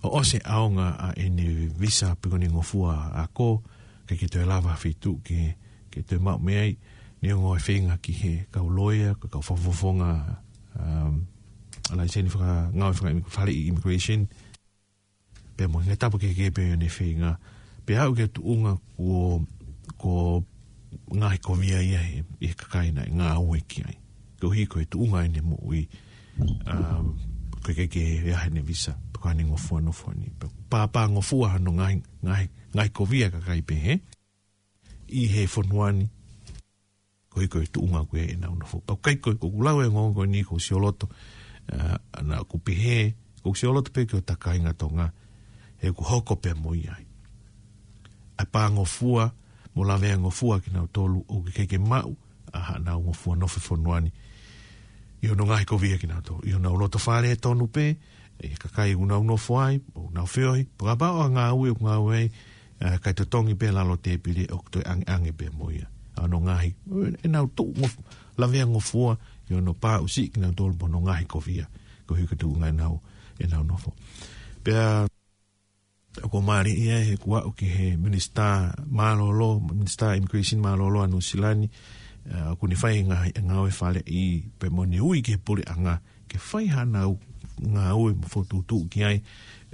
ʻo ʻosi e ʻaonga ʻa ʻene visa pe ko ʻene ngofua ako, ʻikai ke toe lava ha feituʻu ke, ke toe maʻu mei ai, neongo e feinga ki he kau loea, ko e kau fakafofonga, um, laiseni fakangāue faka-, fale immigration, pea mo e ngaahi tapa kehekehe pē ʻene feinga, pea aʻu ki he tuʻunga ko, ko e ngaahi kovia ia he, he kakai naʻe ngāue ki ai. Koeʻuhi ko e tuʻunga ʻene moʻui, um, ko e ʻikai ke ʻi ai haʻane visa, pe ko haʻane ngofua nofo ni. Pea pāpā ngofua hano ngaahi, ngaahi, ngaahi kovia kakai pehē ʻi he fonua ni, koeʻuhi ko e tuʻunga ko ē ʻenau nofo. Pea ʻikai ko, ko ʻeku lau e ongoongo ni ʻoku ou sioloto, ʻa, naʻa ku pehē, ʻoku ou sioloto pē ki hota kāinga Tonga, he ʻoku hoko pē mo ia ai. ʻA e pā ngofua, mo lavea ngofua kinautolu, ʻoku ʻikai ke maʻu ʻa haʻanau ngofua nofo fonua ni. ʻI hono ngaahi kovia kinautolu. ʻI honau loto fale tonu pē, ʻi he kakai ʻoku nau nofo ai, ʻoku nau feohi, pe kapau ʻoku ngāue, ʻoku ngāue ai, ʻa, kae totongi pē lalo tēpile ʻoku toe ʻangeʻange pē mo ia. ʻA hono ngaahi, ʻenau tuʻu ngof-, lavea ngofua, ʻi hono pā ʻusi kinautolu mo hono ngaahi kovia. Koeʻuhi ko e tuʻunga ʻenau, ʻenau nofo. Pea, ʻoku mālie ia he kuo aʻu ki he minisitā mālōlō, minisitā immigration mālōlō ʻa Nuʻusila ni, ʻa, ʻoku ne fai e ngā-, e ngāue faleʻi pea mo ʻene ui ki he puleʻanga, ke fai haʻanau ngāue mo fokotuʻutuʻu ki ai,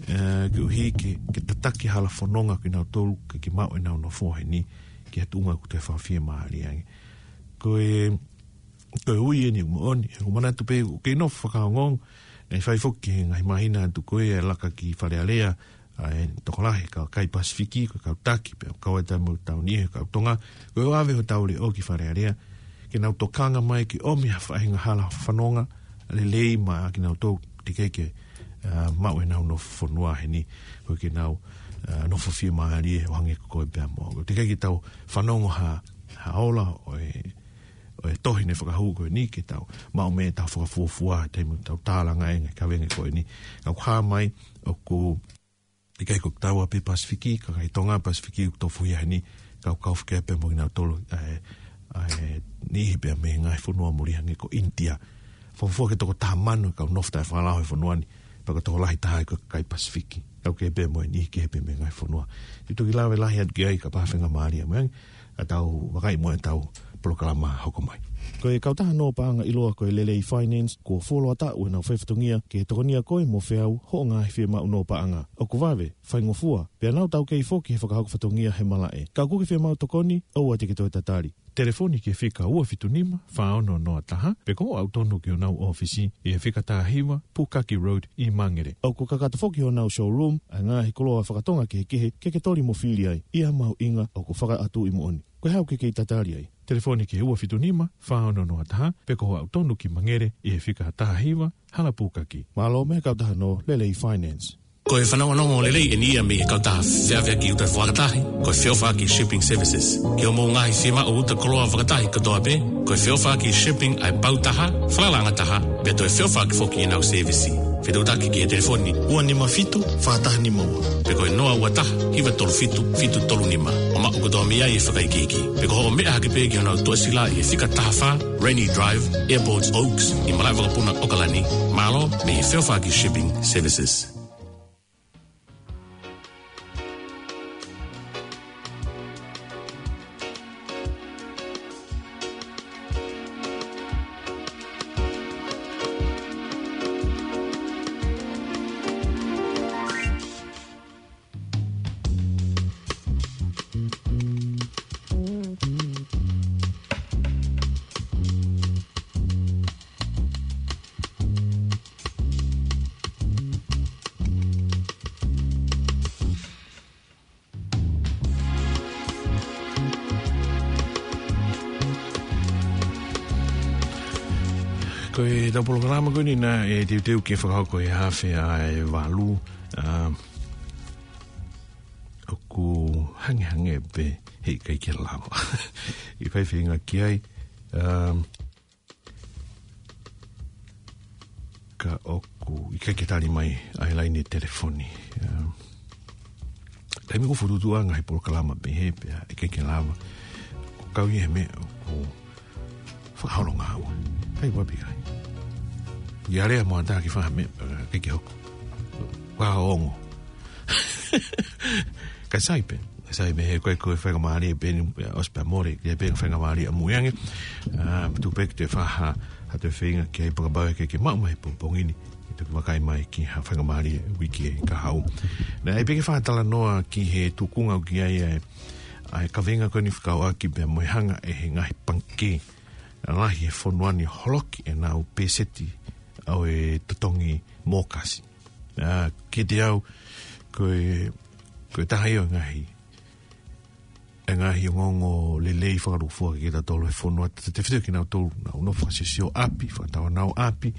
ʻa, koeʻuhi ke, ke tataki hala fononga kinautolu ke, ke maʻu ʻenau nofo heni, ki ha tuʻunga ʻoku toe fakafiemālie ange. Ko e, ko e ui eni moʻoni, he ʻoku ou manatu pē, ʻoku kei nofo fakaongoongo, naʻe fai foki he ngaahi māhina atu ko ē e laka ki Fale Alea, ʻa e tokolahi, kau kakai Pasifiki, ko e kau taki, pea kau ai taimi ʻo tau ni, he kau Tonga, ko e ʻave hotau leʻo ki Fale Alea, ke nau tokanga mai ke ʻomi ha faʻahinga hala fononga, lelei maʻa kinautolu teʻeki ke, ʻa, maʻu ʻenau nofo fonua heni, ko e ke nau, ʻa, nofo fiemālie ʻo hangē ko koe pea mo au. Teʻeki ke tau fanongo ha, ha ola ʻo e, ʻo e tohi naʻe fakahū ko eni ke tau maʻu mei heʻetau fakafuofua, taimi ʻoku tau tālanga e ngaahi kaveinga ko eni. Ka ʻoku hā mai, ʻoku ʻikai ko kitaua pē Pasifiki, kakai Tonga Pasifiki ʻoku tofuhia heni, kau kau fekea pea mo kinautolu, ʻa e, ʻa e niʻihi pea mei he ngaahi fonua muli hangē ko ʻInitia. Fuofua ki he toko taha mano e kau nofo taʻefakalao he fonua ni, pea ko e tokolahi taha ia ko e kakai Pasifiki. Kau kehe pea mo e niʻihi kehe pea mei he ngaahi fonua. Te u toki lave lahi atu ki ai kapau ʻe faingamālie mai ange, ka tau vakai mo ʻetau polokalama hoko mai. Ko e kautaha nō paʻanga ʻiloa ko e Lelei Finance, kuo fuoloa taʻu ʻenau fai fatongia ke tokonia koe mo feau hoʻo ngaahi fiemaʻu nō paʻanga. ʻOku vave, faingofua, pea nau taukei foki he fakahoko fatongia he malaʻe. Ka ʻoku ke fiemaʻu tokoni, ʻoua te ke toe tatali. Telefoni ki he fika ua fitu nima, fā ono noa taha, pe ko hoʻo aʻu tonu ki honau ʻōfisi, ʻi he fika taha hiva, Pukaki Road, ʻi Mangere. ʻOku kakato foki honau showroom, ʻa e ngaahi koloa fakatonga kehekehe, ke ke toli mo fili ai, ʻi ha mahuʻinga ʻoku fakaʻatuʻi moʻoni. Ko e hā ʻoku ke kei tatali ai? Telefoni ki he ua fitu nima, fā ono noa taha, pe ko hoʻo aʻu tonu ki Mangere, ʻi he fika taha hiva, Hala Pukaki. Mālō mei he kautaha nō Lelei Finance. Ko e fanongonongo lelei eni ia mei he kautaha feʻaveʻaki ʻuta fakatahi, ko e Feʻofaʻaki Shipping Services. Ki hoʻomou ngaahi fiemaʻu ʻuta koloa fakatahi kotoa pē, ko e Feʻofaʻaki Shipping ʻa e pau taha, falalaʻanga taha, pea toe feʻofaʻaki foki ʻenau sēvisi. Fetuʻutaki ki he telefoni ua nima fitu, fā taha nima ua. Pe ko e noa ua taha, hiva tolu fitu, fitu tolu nima. ʻO maʻu kotoa mei ai e fakaikiiki. Pe ko hoʻo meʻa hake pē ki honau tuʻasila ʻi he fika taha fā, Rainy Drive, Airport Oaks, ʻi Malaʻevakapuna, ʻAokalani. Mālō mei he Feʻofaʻaki Shipping Services. Ko ʻetau polokalama ko eni naʻe teuteu ke fakahoko he afe ʻa e valu, ʻa, ʻoku hangehangē pē he ʻikai ke lava. ʻIkai feinga ki ai, ʻa, ka ʻoku ʻikai ke tali mai ʻa e laine telefoni. ʻA, taimi ʻoku fokotuʻutuʻu ai ngaahi polokalama pehē pea ʻikai ke lava. ʻOku kau ia he meʻa ʻoku fakaholonga ua. Kai wapi kai. Ia lea mo ata ki faha meʻa, ʻikai ke hoko. Wa ongo. Ka sai pē, sai pē he ko e ko e faingamālie pē ni, ʻosi pē mole, ke pē faingamālie ʻamui ange. ʻA, tuku pē ke te faha, ha te feinga ke ai pakapau ke ke maʻu mai pongipongi ni. Ke toki vakai mai ki ha faingamālie uike ka hau. Naʻe pē ke faha talanoa ki he tuʻunga ʻoku ʻi ai ʻa e, ʻa e kaveinga ko eni fekauʻaki pea mo e hanga ʻe he ngaahi pangikē lahi he fonua ni holoki ʻenau peseti ʻo e totongi mōkasi. ʻA, kiate au, ko e, ko e taha ia ʻo e ngaahi, e ngaahi ongoongo lelei fakalūkufua kiate kitautolu he fonua, tefito kinautolu naʻa nau fakasiosio ʻapi, fakatau ʻenau ʻapi,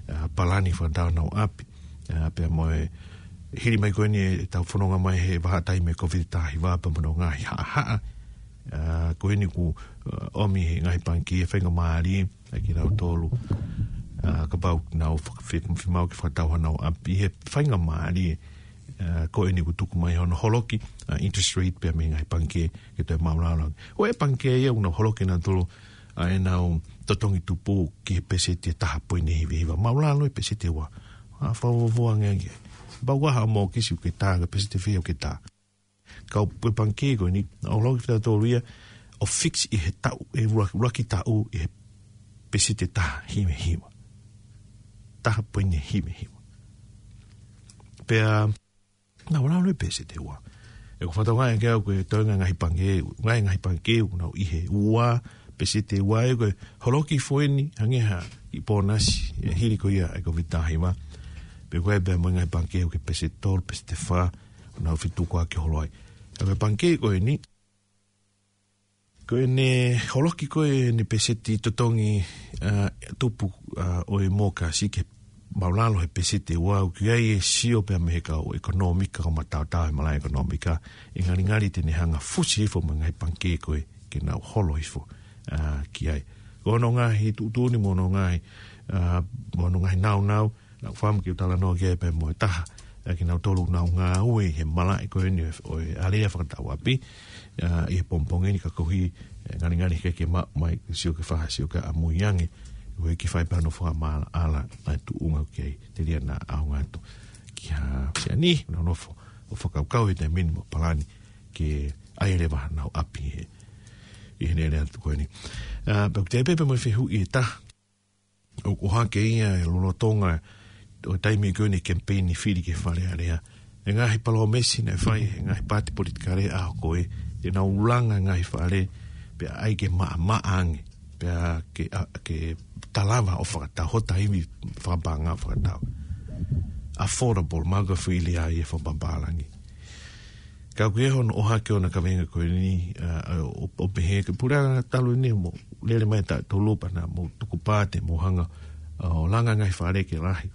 ʻa, palani fakatau ʻenau ʻapi, ʻa, pea mo e hili mai ko eni ʻetau fononga mai he vahaʻa taimi ʻo e Kōviti taha hiva pea mo hono ngaahi haʻahaʻa, ʻa, ko eni ʻoku, ʻa, ʻomi he ngaahi pangikē faingamālie, ʻa kinautolu, ʻa, kapau naʻa nau faka-, fe-, fiemaʻu ke fakatau haʻanau ʻapi he faingamālie, ʻa, ko eni ʻoku tuku mai hono holoki, ʻa, interest rate pea mei he ngaahi pangikē ke toe maʻulalo ange. ʻO e pangikē ia ʻoku nau holoki ʻenautolu, ʻa, ʻenau totongi tupu ki he peseti ʻe taha poini hiva hiva. Maʻulalo e peseti ʻe ua. ʻA, fakafuofua ange ange. Pau ʻa ha mōkasi ʻoku ke tā, ka peseti ʻe fiha ʻoku ke tā. Ka ko e pangikē ko eni, ʻoku holoki fita tolu ia, ʻo fix ʻi he taʻu, ʻe ua, ua ki taʻu, ʻi he peseti ʻe taha hiva hiva. Taha poini hiva hiva. Pea, naʻa ʻoku lalo e peseti ʻe ua. ʻOku ou fakatokangaʻi ange au ko e toenga ngaahi pangikē, ngaahi, ngaahi pangikē, ʻoku nau ʻi he ua, peseti ʻe ua ʻe ko e holoki foʻi eni, hangē ha kiʻi pōnasi, ʻi he hili ko ia ʻa e Kōviti taha hiva. Pe ko e pea mo e ngaahi pangikē ʻoku ke peseti tolu, peseti ʻe fā, ʻoku nau fetukuaki holo ai. ʻA ko e pangikē ko eni, ko ʻene holoki ko ē ʻene peseti totongi, ʻa, tupu, ʻa, ʻo e mōkasi ke maʻulalo he peseti ʻe ua ʻoku ʻi ai e sio pea mei he kau ʻekonōmika, kau mataotao he malaʻe ʻekonōmika, ʻe ngalingali te ne hanga fusi hifo mo e ngaahi pangikē ko ē ke nau holo hifo, ʻa, ki ai. Ko hono ngaahi tuʻutuʻuni mo hono ngaahi, ʻa, mo hono ngaahi naunau, naʻa ku fakaʻamu ke u talanoa ki ai pea mo e taha ʻa kinautolu ʻoku nau ngāue he malaʻe ko eni ʻo e alea fakatau ʻapi, ʻa, ʻi he pongipongi ni ka koeʻuhi, ʻe, ngalingali ke ke maʻu mai, sio ke faha, sio ke ʻamui ange, ʻo ʻikai ke fai pē hano fakamaʻalaʻala ʻa e tuʻunga ʻoku ke ʻi ai, telia naʻa ʻaonga atu ki ha siani, nau nofo ʻo fakakaukau he taimi ni mo palani ke ʻai leva haʻanau ʻapi he, ʻi heʻene lea atu ko eni. ʻA, pea ʻoku te pehē pē mo e fehuʻi ʻe taha, ʻoku ʻohake ia he lolotonga ʻo e taimi ko eni kemipeini fili ki he Fale Alea. ʻE ngaahi palōmesi naʻe fai he ngaahi paati politikale ʻa ko ē, te nau langa ngaahi fale, pea ʻai ke maʻamaʻa ange, pea ke, ʻa, ke ta lava ʻo fakatau, hota ivi fakapaʻanga fakatau. Affordable, maʻu ka fili ai e fakapapālangi. Ka ʻoku ʻi ai hono ʻohake ʻo ʻena kaveinga ko eni, ʻa, ʻa, ʻo, ʻo pehē ke pura talu eni mo lele mai taʻu tolu pea naʻa mou tuku pāte mo hanga, ʻa, ʻo langa ngaahi fale ke lahi.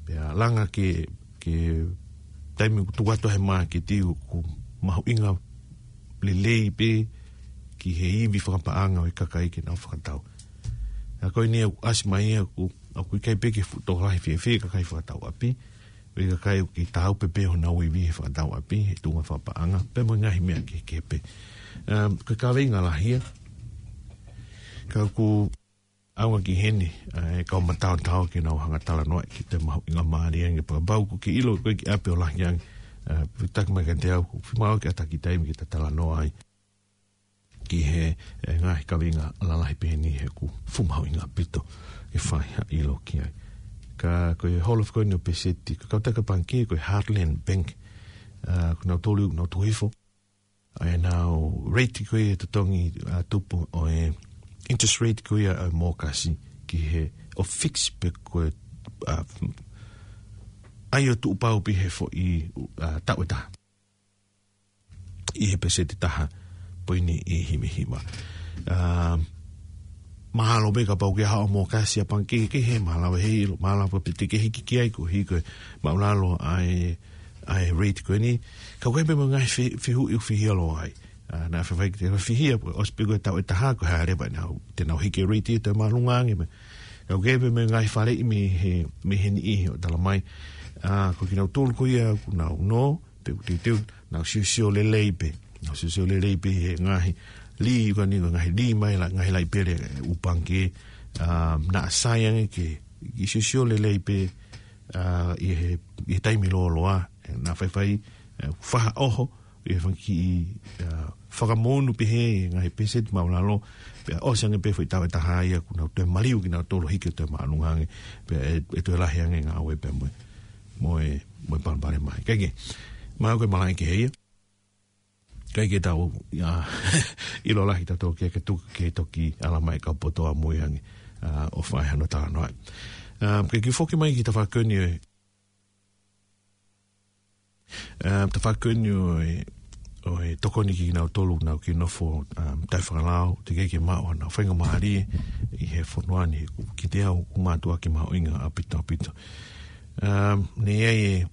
Pea langa ke, ke taimi ʻoku tuku atu he māketi ʻoku mahuʻinga lelei pē ki he ivi fakapaʻanga ʻo e kakai ke nau fakatau. ʻA ko eni ʻoku ʻasi mai ia ʻoku, ʻoku ʻikai pē ke fuʻu tokolahi fiefia kakai fakatau ʻapi. ʻOku ʻikai ke tau pē pē honau ivi he fakatau ʻapi, he tuʻunga fakapaʻanga, pea mo e ngaahi meʻa kehekehe pē. Um, ko e kaveinga lahi ia, ka ʻoku ʻaonga ki heni, ʻa, e kau mataotao ke nau hanga talanoa ki he mahuʻingamālie ange pea kapau ʻoku ke ʻilo ko e kiʻi ʻapi ʻoku lahi ange, ʻa, pea taki mai kiate au, ʻoku fiemaʻu ke ʻatā ki taimi ke ta talanoa ai ki he, ʻe, ngaahi kaveinga lalahi pehē ni he ʻoku fuʻu mahuʻinga ʻaupito ke fai ha ʻilo ki ai. Ka ko e holo ko eni ʻo e peseti, ka kau taka pangikē ko e Heartland Bank, ʻa, ʻoku nau tolu, ʻoku nau tuku hifo ʻa ʻenau rate ko ia ʻe totongi, ʻa, tupu ʻo e interest rate ko ia ʻa e mōkasi ki he ʻo fix pē ko e, ʻa, ʻai ʻo tuʻu pau pē he foʻi, ʻa, taʻu ʻe taha. ʻI he peseti ʻe taha poini hiva hiva. Um, Mahalo pē kapau ke haʻo mo kasi ʻa pangikē kehe, mahalo he ʻilo, mahalo pē te ke hiki ki ai ko hiko e māʻulalo ʻa e, ʻa e rate ko eni. Ka ʻoku ʻi ai pē mo e ngaahi fe-, fehuʻi ʻoku fihia loa ai. ʻA, naʻa faifai ke te fihia, ʻosi pē ko e taʻu ʻe taha ko e hā leva ʻenau, te nau hiki e rate ʻi he toe māʻolunga ange mai. Ka ʻoku ʻi ai pē mo e ngaahi faleʻi mei he, mei he niʻihi ʻo talamai. ʻA, ko kinautolu ko ia ʻoku nau nō, pe ʻoku teuteu, nau siosio lelei pē. Nau siosio lelei pē he ngaahi lī, ko eni ko e ngaahi lī mai la, ngaahi laipele, ʻū pangikē, ʻa, naʻa sai ange ke, ke siosio lelei pē, ʻa, ʻi he, ʻi he taimi lōloa, ʻe, naʻa faifai, ʻe, faʻa ʻoho, ʻi he fanga kiʻi, ʻa, fakamoʻoni pē he ngaahi peseti māʻulalo, pea ʻosi ange pē foʻi taʻu ʻe taha ia ʻoku nau toe maliu kinautolu hiki ʻo toe māʻolunga ange, pea ʻe, ʻe toe lahi ange ngāue pea mo e, mo e, mo e palopalema. Kae kehe, mahalo ko e malaʻe kehe ia. ʻIkai ke tau, ʻa, ʻilo lahi tautolu ke, ke tuku ke toki ala mai kau poto ʻamui ange, ʻa, ʻo fai hano talanoa. ʻA, ke kiʻi foki mai ki he tafaʻaki ko eni ʻo e, ʻa, tafaʻaki ko eni ʻo e, ʻo e tokoni kinautolu ʻoku nau kiʻi nofo, ʻa, taʻefakalao, teʻeki ke maʻu haʻanau faingamālie ʻi he fonua ni, ʻoku kiate au ʻoku mātuʻaki mahuʻinga ʻaupito ʻaupito. ʻA, naʻe ʻi ai e,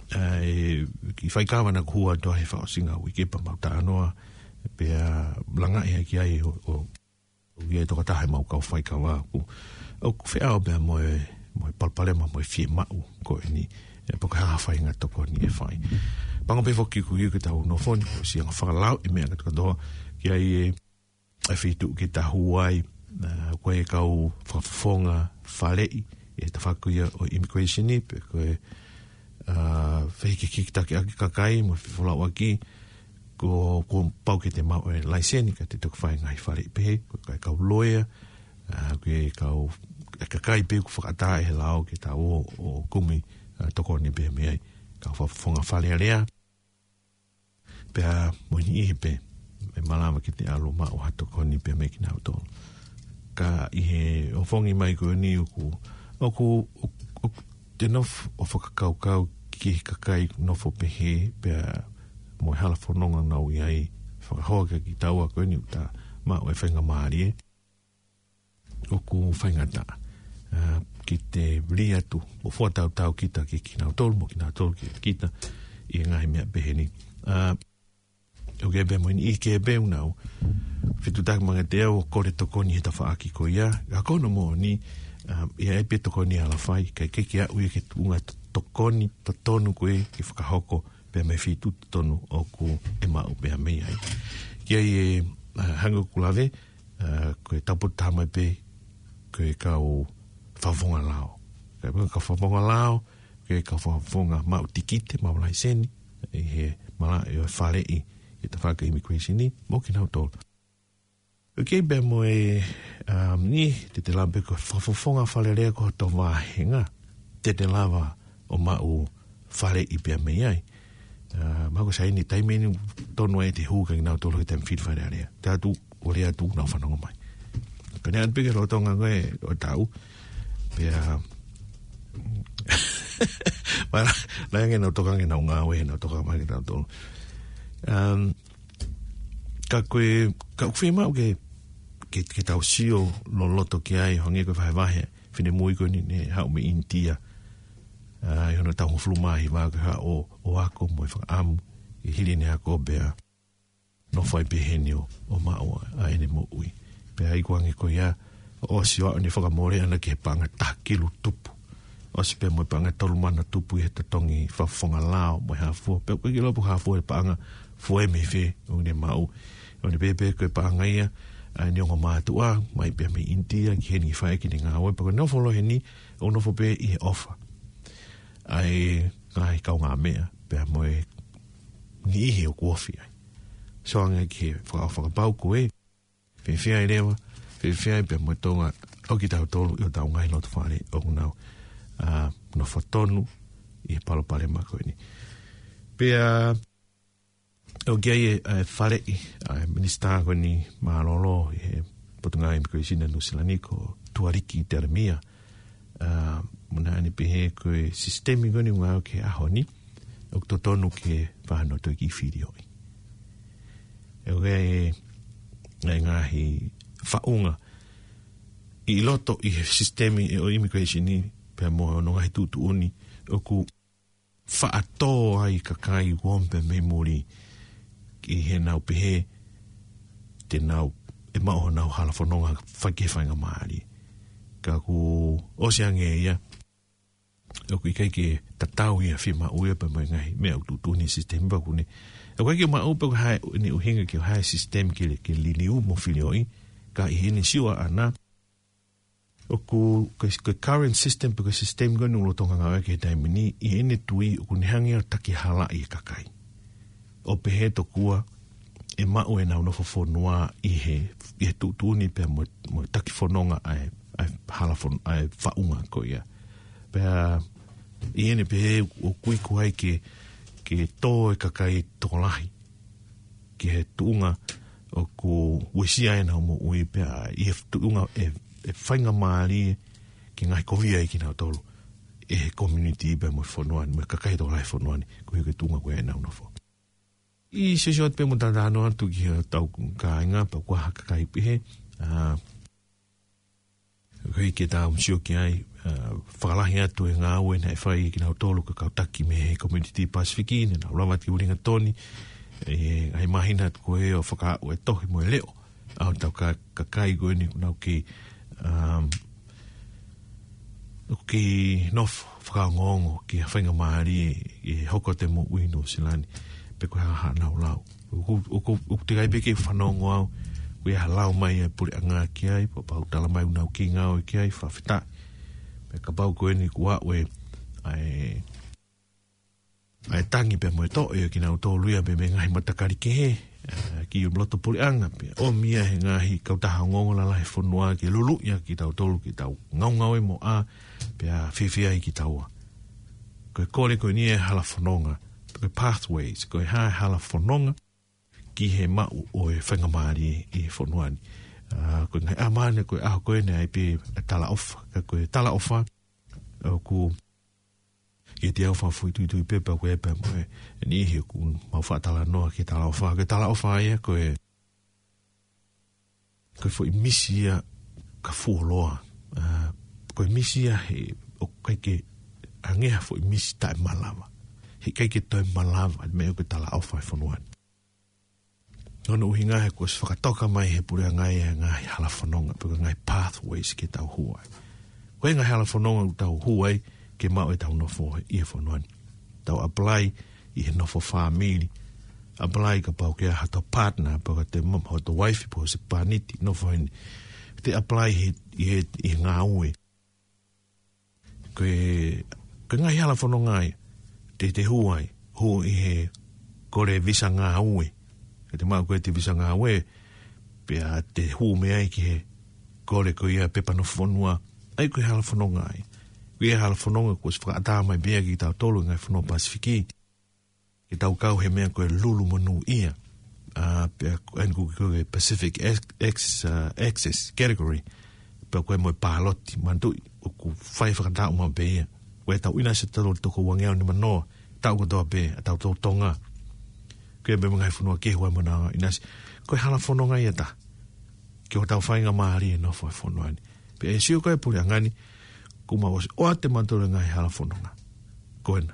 ʻa, e kiʻi faikava naʻa ku hū atu ai he fakaʻosinga uike pea mau talanoa, pea langaʻi hake ai ʻo, ʻo, ʻo ʻi ai e tokotaha ʻemau kau faikava ʻoku, ʻoku feʻao pea mo e, mo e palopalema mo e fiemaʻu ko eni, ʻe, pe ko e hā ha faʻahinga tokoni ʻe fai. Pango pē foki ʻoku ʻi ai ke tau nofo ni, ʻosi anga fakalauʻi e meʻa kātoa, ki ai e, ʻa e feituʻu ke tau hū ai, ʻa, ko e kau fakafofonga faleʻi, ʻi he tafaʻaki ko ia ʻo e immigration ni, pe ko e, ʻa, fehikihikitaki ʻaki e kakai, mo e fefolauʻaki, ko, kuo pau ke te maʻu e laiseni, ka te toki fai e ngaahi faleʻi pehē, ko e kau kau loea, ʻa, ko e kau, e kakai pē ʻoku fakaʻatā ʻe he lao ke tau ō, ʻo kumi, ʻa, tokoni pē mei ai, kau fakafofonga Fale Alea, pea mo e niʻihi pē, ʻe malava ke te ʻalu ʻo maʻu ha tokoni pē mei kinautolu. Ka ʻi he ʻofongi mai ko eni ʻoku, ʻoku, ʻoku, ʻoku te nofo ʻo fakakaukau ki he kakai nofo pehē, pea mo e hala fononga ʻoku nau ʻi ai, fakahoa kia kitaua ko eni ʻoku ta maʻu e faingamālie ʻoku faingataʻa, ʻa, ke te lī atu ʻo fakatautau kita ki, kinautolu, mo kinautolu ki, kita, ʻi he ngaahi meʻa pehē ni. ʻA, ʻoku ʻi ai pē mo e niʻihi kehe pē ʻoku nau fetuʻutaki mai kiate au ʻo kole tokoni he tafaʻaki ko ia, ka ko hono moʻoni, ʻa, ʻi ai pē tokoni ala fai, kae kehe ke aʻu ia ki he tuʻunga to-, tokoni totonu ko ē ke fakahoko pea mei he feituʻu totonu ʻoku ʻe maʻu pē mei ai. Ki ai e, ʻa, hangē ko ʻeku lave, ʻa, ko e taupotu taha mai pē, ko e kau fakafofonga lao. Ko e kau fakafofonga lao, ko e kau fakafofonga maʻu tikite, maʻu laiseni, ʻi he malaʻe ʻo e faleʻi, ʻi he tafaʻaki immigration ni, mo kinautolu. ʻOku ʻi ai pē mo e, ʻa, niʻihi, te te lava pē ko e fakafofonga Fale Alea ko hoto vāhenga, te te lava ʻo maʻu faleʻi pē mei ai. ʻA, mahalo ko e sai ni taimi ni tonu ai te hū kia kinautolu he taimi fili Fale Alea. Te ʻalu atu, ʻo lea atu nau fanongo mai. Ka ne ʻalu pē ki he lolotonga ko ē ʻo e taʻu. Pea, ma, la, la ange nau toka ange nau ngāue, nau toka mai kinautolu. Um, ka ko e, ka ʻoku fiemaʻu ke, ke, ke tau sio loloto ki ai, hangē ko e vahevahe, finemui ko eni ne haʻu mei ʻInitia. ʻA, ʻi hono taʻu hongofulu mā hiva ke haʻu ʻo, ʻo ako mo e fakaʻamu, ʻi he hili ʻene ako pea nofo ai pē heni ʻo, ʻo maʻu ʻa ʻene moʻui. Pea ʻi he kuange ko ia, ʻosi ʻo aʻu ʻene fakamole ʻana ki he paʻanga taha kilu tupu. ʻOsi pē mo e paʻanga tolu mano tupu ʻi he totongi fakafofonga lao mo e hā fua. Pea ʻoku ʻikai ke ʻilo pe ko e hā fua e paʻanga fua ē mei fē ʻoku ne maʻu. ʻOku ne pehē pē ko e paʻanga ia ʻa ʻene ongo mātuʻa, mai pē mei ʻInitia, ki heni ki fai ʻene ngāue. Pea ko e nofo ʻo heni, ʻoku nofo pē ʻi he ʻofa ʻa e ngaahi kaungāmeʻa, pea mo e niʻihi ʻoku ofi ai. Sio ange ki he fakaʻofa kapau ko ē, fēfē ai leva, fēfē ai pea mo Tonga, ʻo kitautolu ʻi hotau ngaahi loto fale ʻoku nau, ʻa, nofo tonu ʻi he palopalema ko eni. Pea, ʻoku ʻi ai e, ʻa e faleʻi, ʻa e minisitā ko eni mālōlō ʻi he Potungāue Immigration ʻa Nuʻu Sila ni ko Tuariki Telemia, ʻa, mo naʻa ne pehē ko e sisitemi ko eni ʻoku ngāue ki he ʻaho ni, ʻoku totonu ke fai hano toe kiʻi filioʻi. ʻOku ʻi ai e, e ngaahi faʻunga, ʻi loto ʻi he sisitemi ʻo e immigration ni, pea mo hono ngaahi tuʻutuʻuni, ʻoku faʻa tō ai kakai ʻoku ō pē mei muli ki heʻenau pehē te nau ʻe maʻu honau hala fononga fai ki he faingamālie. Ka kuo ʻosi ange ia, ʻoku ʻikai ke tatau ia, fiemaʻu ia pea mo e ngaahi meʻa ʻoku tuʻutuʻuni he sisitemi pea ʻoku ne. ʻOku ʻikai ke maʻu pe ko e hā ʻene ʻuhinga ki he hā e sisitemi ke, ke liliu mo filioʻi, ka ʻi heʻene sio ʻaʻana, ʻoku, ko e, ko e current system pe ko e sisitemi ko eni ʻoku lolotonga ngāueʻaki he taimi ni, ʻi heʻene tui ʻoku ne hanga ʻo takihalaʻi e kakai. ʻO pehē tokua ʻe maʻu ʻenau nofo fonua ʻi he, ʻi he tuʻutuʻuni pea mo, mo e taki fononga ʻa e, ʻa e hala fon-, ʻa e faʻunga ko ia. Pea ʻi heʻene pehē ʻoku ʻikai ke, ke tō e kakai tokolahi ki he tuʻunga ʻoku uesia ai ʻenau moʻui pea ʻi he tuʻunga ʻe, ʻe faingamālie ke ngaohikovia ai kinautolu ʻe he community pea mo e fonua ni, mo e kakai tokolahi e fonua ni, koeʻuhi ko e tuʻunga ko ia ʻenau nofo. ʻI he sio atu pē mo talanoa atu ki hotau kāinga, pea ko e hā e kakai pehē, ā, koeʻuhi ke tau sio ki ai, ā, fakalahi atu e ngāue naʻe fai kinautolu ko e kau taki mei he Community Pasifiki, ne nau lava atu ki Uelingatoni, ʻi he ngaahi māhina atu ko ē ʻo fakaaʻu e tohi mo e leʻo ʻa hotau ka-, kakai ko eni ʻoku nau kei, um, ʻoku kei nofo fakaongoongo ki ha faingamālie ʻi he hoko atu e moʻui ʻi Nuʻusila ni, pe ko e hā haʻanau lau. ʻOku, ʻoku, ʻoku teʻeki ai pē ke u fanongo au, ʻoku ʻi ai ha lau mai e puleʻanga ki ai, pea pau tala mai ʻoku nau kei ngāue ki ai, fakafetaʻi. Pea kapau ko eni kuo aʻu e, ʻa e, ʻa e tangi pea mo e toʻe ʻo kinautolu ia pea mei he ngaahi matakali kehe, ā, ki loto puleʻanga pea ʻomi ia he ngaahi kautaha ongoongo lalahi e fonua ke luluʻi ʻa kitautolu ke tau ngaungaue mo ʻā, pea fiefia ai kitaua. Ko e kole ko eni e hala fononga, ko e pathways, ko e hā e hala fononga ki he maʻu ʻo e faingamālie ʻi he fonua ni. Ā, ko e ngaahi ʻaho ni, ko e ʻaho ko eni ʻe ʻi ai pē e talaʻofa, ka ko e talaʻofa, ʻoku ʻiate au fakafoʻituitui pē pea ko e pea mo e, e niʻihi ʻoku mau faʻa talanoa ki he talaʻofa. Ko e talaʻofa ia ko e, ko e foʻi misi ia ka fuoloa. Ā, ko e misi ia he ʻoku ʻikai ke hangē ha foʻi misi taʻemalava. He ʻikai ke toe malava, meʻa ko e talaʻofa e fonua ni. Ko hono ʻuhinga he kuo ʻosi fakatoka mai he puleʻanga ia e ngaahi hala fononga, pe ko e ngaahi pathways ke tau hū ai. Ko e ngaahi hala fononga ʻoku tau hū ai ke maʻu ʻetau nofo ʻi he fonua ni. Tau apply ʻi he nofo fāmili. Apply kapau ʻoku ʻi ai hato partner, pe ko e te ma-, hato wife, pe ko e husepāniti, nofo heni. Te apply he, ʻi he, ʻi he ngāue. Ko e, ko e ngaahi hala fononga ia, te, te hū ai, hū ʻi he kole visa ngāue. Ka te maʻu ko ē ʻete visa ngāue, pea te hū mei ai ki he kole ko ia pepa nofo fonua, ʻa ia ko e hala fononga ia. Ko e hala fononga kuo ʻosi fakaʻatā mai pē ia kiate kitautolu ngaahi fonua Pasifiki. Ke tau kau he meʻa ko e lulu monūʻia. Ā, pea ko eni ʻoku ui ko e Pacific Ex-, Ex-, ā, Access Category. Pea ko e mo e pāloti, manatuʻi, ʻoku fai fakataʻu maʻu pē ia. Ko e tau ʻinasi ʻa tautolu toko uangeau nimanoa, taʻu kotoa pē, ʻa tautolu Tonga. Ko e pē mo e ngaahi fonua kehe ʻoku ʻi ai ʻenau ʻinasi. Ko e hala fononga ia ʻe taha ki hotau faingamālie e nofo he fonua ni. Pea ʻe sio ko ē puleʻanga ni, kuo mau ʻosi ʻoatu ʻe mautolu e ngaahi hala fononga. Ko ena.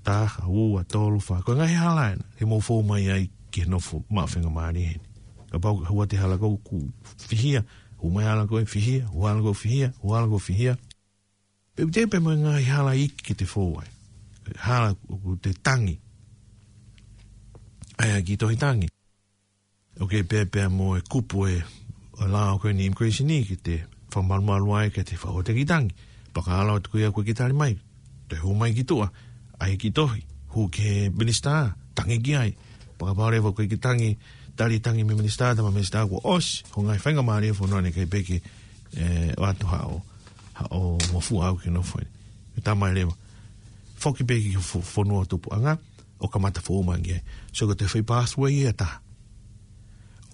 Taha, ua, tolu, fā. Ko e ngaahi hala ena. Ke mou fou mai ai ke nofo maʻu faingamālie heni. Kapau ʻe hū atu e hala ko ē ʻoku fihia, hū mai e hala ko ē fihia, hū hala ko ē fihia, hū hala ko ē fihia. Pea ʻoku teʻeki pē mo e ngaahi hala iiki ke te fou ai. Hala ʻoku te tangi. ʻA ia ki tohi tangi. ʻOku pehē pē mo e kupu e, ʻo e lao ko eni immigration ni ke te fakamalumalu ai ke te fakahoa e kiʻi tangi. Pea ka ʻalu atu ko ia ko e kiʻi tali mai. Toe hū mai ki tuʻa. ʻAi e kiʻi tohi. Hū ki he minisitā. Tangi ki ai. Pea kapau leva ko e kiʻi tangi, tali tangi mei he minisitā, tala mei he minisitā kuo ʻosi hoʻo ngaahi faingamālie he fonua ni, ʻikai pē ke, ē, ʻoatu haʻo, haʻo ngofua au ke nofo ai. Ke tā mai leva. Foki pē ki he fo-, fonua tupuʻanga, ʻo kamata fou mai ki ai. So ko e foʻi pathway ia ʻe taha.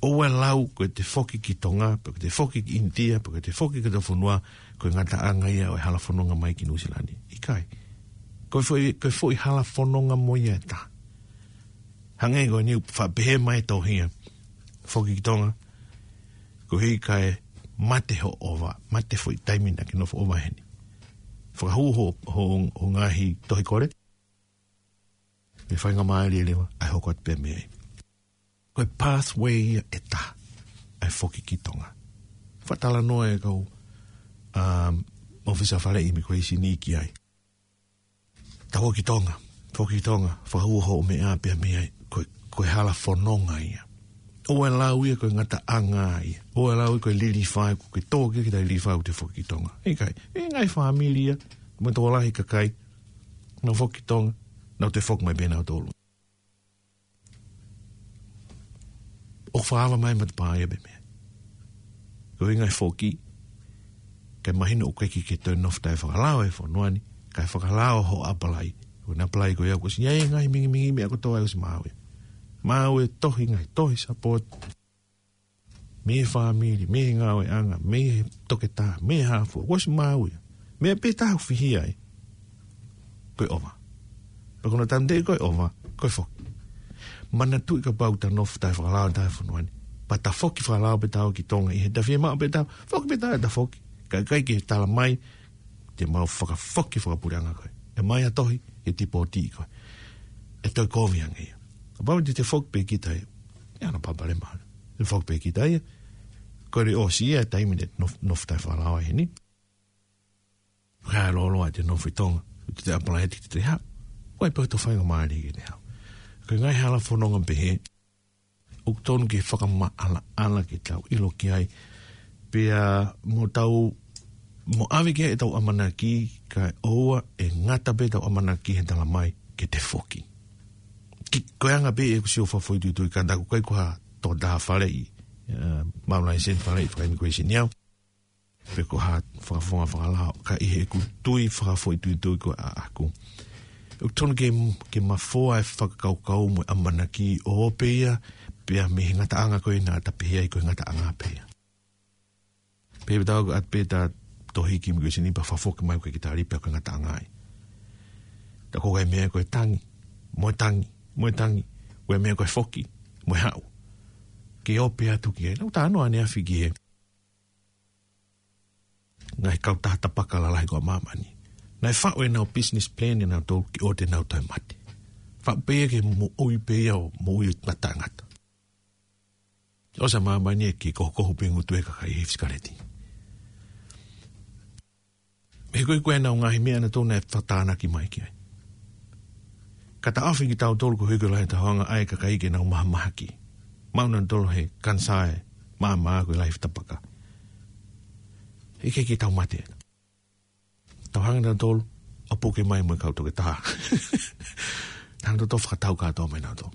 ʻOua ʻe lau ko ʻete foki ki Tonga, pe ko ʻete foki ki ʻInitia, pe ko ʻete foki ki hotau fonua, ko e ngataʻanga ia ʻo e hala fononga mai ki Nuʻusila ni. ʻIkai. Ko e foʻi, ko e foʻi hala fononga mo ia ʻe taha. Hangē ko eni ʻoku faʻa pehē mai e tohi ia. Foki ki Tonga. Koeʻuhi kae Mate hoʻo ʻova, mate foʻi taimi naʻa ke nofo ʻova heni. Fakahū ho, ho, ho ngaahi tohi kole. Mei he faingamālie leva, ʻai hoko atu pē mei ai. Ko e pathway ia ʻe taha, ʻa e foki ki Tonga. Fakatalanoa e kau, um, ʻōfisa faleʻi immigration ki ai. Tau foki ki Tonga, foki ki Tonga, fakahū hoʻo meʻa pea mei ai, ko e, ko e hala fononga ia. ʻOua ʻe lau ia ko e ngataʻanga ia. ʻOua ʻe lau ia ko e lilifa, ko e tō ki kita lilifa ʻo te foki ki Tonga. ʻIkai, ʻi he ngaahi fāmili ia, mo e tokolahi kakai, nau foki ki Tonga, nau toe foki mai pē nautolu. ʻO fakaava mai matapā ia pē mei ai. Ko e ngaahi foki, kae mahino ʻoku ʻikai ke toe nofo taʻefakalao he fonua ni, kae fakalao hoʻo ʻapalai. Ko ʻene ʻapalai ko ia kuo ʻosi ʻi ai e ngaahi mingimingi meʻa kotoa ʻosi maʻu ia. Maʻu e tohi ngaahi tohi support. Mei he fāmili, mei he ngāueʻanga, mei he toketā, mei he hā fua, kuo ʻosi maʻu ia. Meʻa pē taha ʻoku fihia ai. Ko e ʻova. Pea ko hono tanumaki ko e ʻova, ko e foki. Manatuʻi kapau te ta nofo taʻefakalao taʻefonua ni. Pea ta foki fakalao pē ta ō ki Tonga ʻi he ta fiemaʻu pē ta, foki pē ta, ta foki. Kae ʻikai ke tala mai, te mau fakafoki fakapuleʻanga koe. ʻE mai ha tohi, ke tipōtiʻi koe. ʻE toe kovi ange ia. Kapau te te foki pē kita ia. ʻE ana papale mana. Te foki pē kita ia. Ko e ʻosi ia, taimi te nofo, nofo taʻefakalao ai heni. Kae loloa te nofo ʻi Tonga. Te te ʻapalai te te haʻu. Ko e pē ʻoku tau faingamālie ke te haʻu. Ko e ngaahi hala fononga pehē. ʻOku tonu ke fakamaʻalaʻala ke tau ʻilo ki ai. Pea mo tau, mo ʻave ki ai ʻetau ʻamanaki kae ʻoua ʻe ngata pē ʻetau ʻamanaki he tala mai ke te foki. Ki, ko e anga pē ʻeku sio fakafoʻituitui ka ta ʻoku ʻikai ko ha toketā faleʻi, eh, maʻu laiseni faleʻi faka-immigration ia. Pe ko ha fakafofonga fakalao, ka ʻi heʻeku tui fakafoʻituitui ko ē ʻaʻaku. ʻOku tonu ke, ke mafoa e fakakaukau mo e ʻamanaki ʻo pehē ia, pea mei he ngataʻanga ko ē naʻa ta pehē ai ko e ngataʻanga pē ia. Pea ʻi he tau ʻoatu pē ta tohi ki immigration pea fakafoki mai ko e ki tali pea ko e ngataʻanga ai. Ta ko e meʻa ko e tangi, mo e tangi, mo e tangi, ko e meʻa ko e foki, mo e haʻu. Ke ō pē atu ki ai, naʻa ku talanoa ʻaneafi ki he ngaahi kautaha tapaka lalahi ko ē ʻa māmani. Naʻe faʻu ʻenau business plan ʻenau tolu ki ʻoua te nau toe mate. Faʻu pē ia ke moʻui pē ia ʻo moʻui ʻo taʻengata. ʻOsi ʻa māmani ʻe kei kohokoho pē ngutu e kakai he fisikaleti. He ko e ko ʻenau ngaahi meʻa ʻanautolu naʻe fakatānaki mai ki ai. Ka taʻofi kitautolu ko e hiki lahi tahoanga ʻa e kakai ke nau mahamahaki. Maʻu nautolu he kanisā ʻe māmā ko e lahi fitapaka. ʻIkai ke tau mate. Tau hanga nautolu, ʻo puke mai mo e kau toketā. Hanga nautolu fakatau kātoa mai nautolu.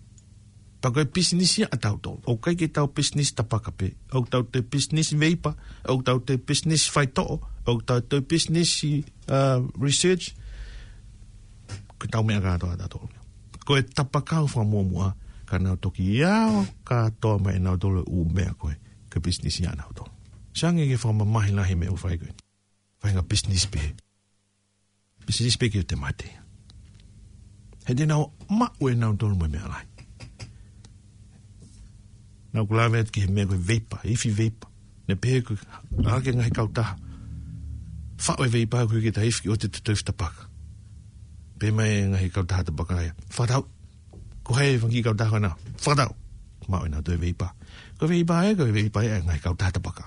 Pea ko e pisinisi ia ʻatautolu. ʻOku ʻikai ke tau pisinisi tapaka pē. ʻOku tau toe pisinisi veipa. ʻOku tau toe pisinisi faitoʻo. ʻOku tau toe pisinisi, uh, research. Ko ʻetau meʻa kātoa ʻatautolu. Ko e tapaka ʻoku fakamuʻomuʻa. Ka nau toki ʻave kātoa mai nautolu ʻū meʻa ko ē. Ko e pisinisi ia ʻanautolu. Sai ange ke fakamamahi lahi meʻa ʻoku fai ko ē. Fai ha business pē. Business pē ke te mate. He te nau maʻu ʻe nautolu mo e meʻa lahi. Naʻa ku lave atu ki he meʻa ko e veipa, ifi veipa. Naʻe pehē ko e ʻa e ngaahi kautaha. Faʻu e veipa ko ē ke ta ifi ki ʻoua te te toe fitapaka. Pehē mai e ngaahi kautaha tapaka ia. Fakatau. Ko hai e fanga kiʻi kautaha ko ena? Fakatau. Maʻu ʻe nautolu e veipa. Ko e veipa ē, ko e veipa ē, ngaahi kautaha tapaka.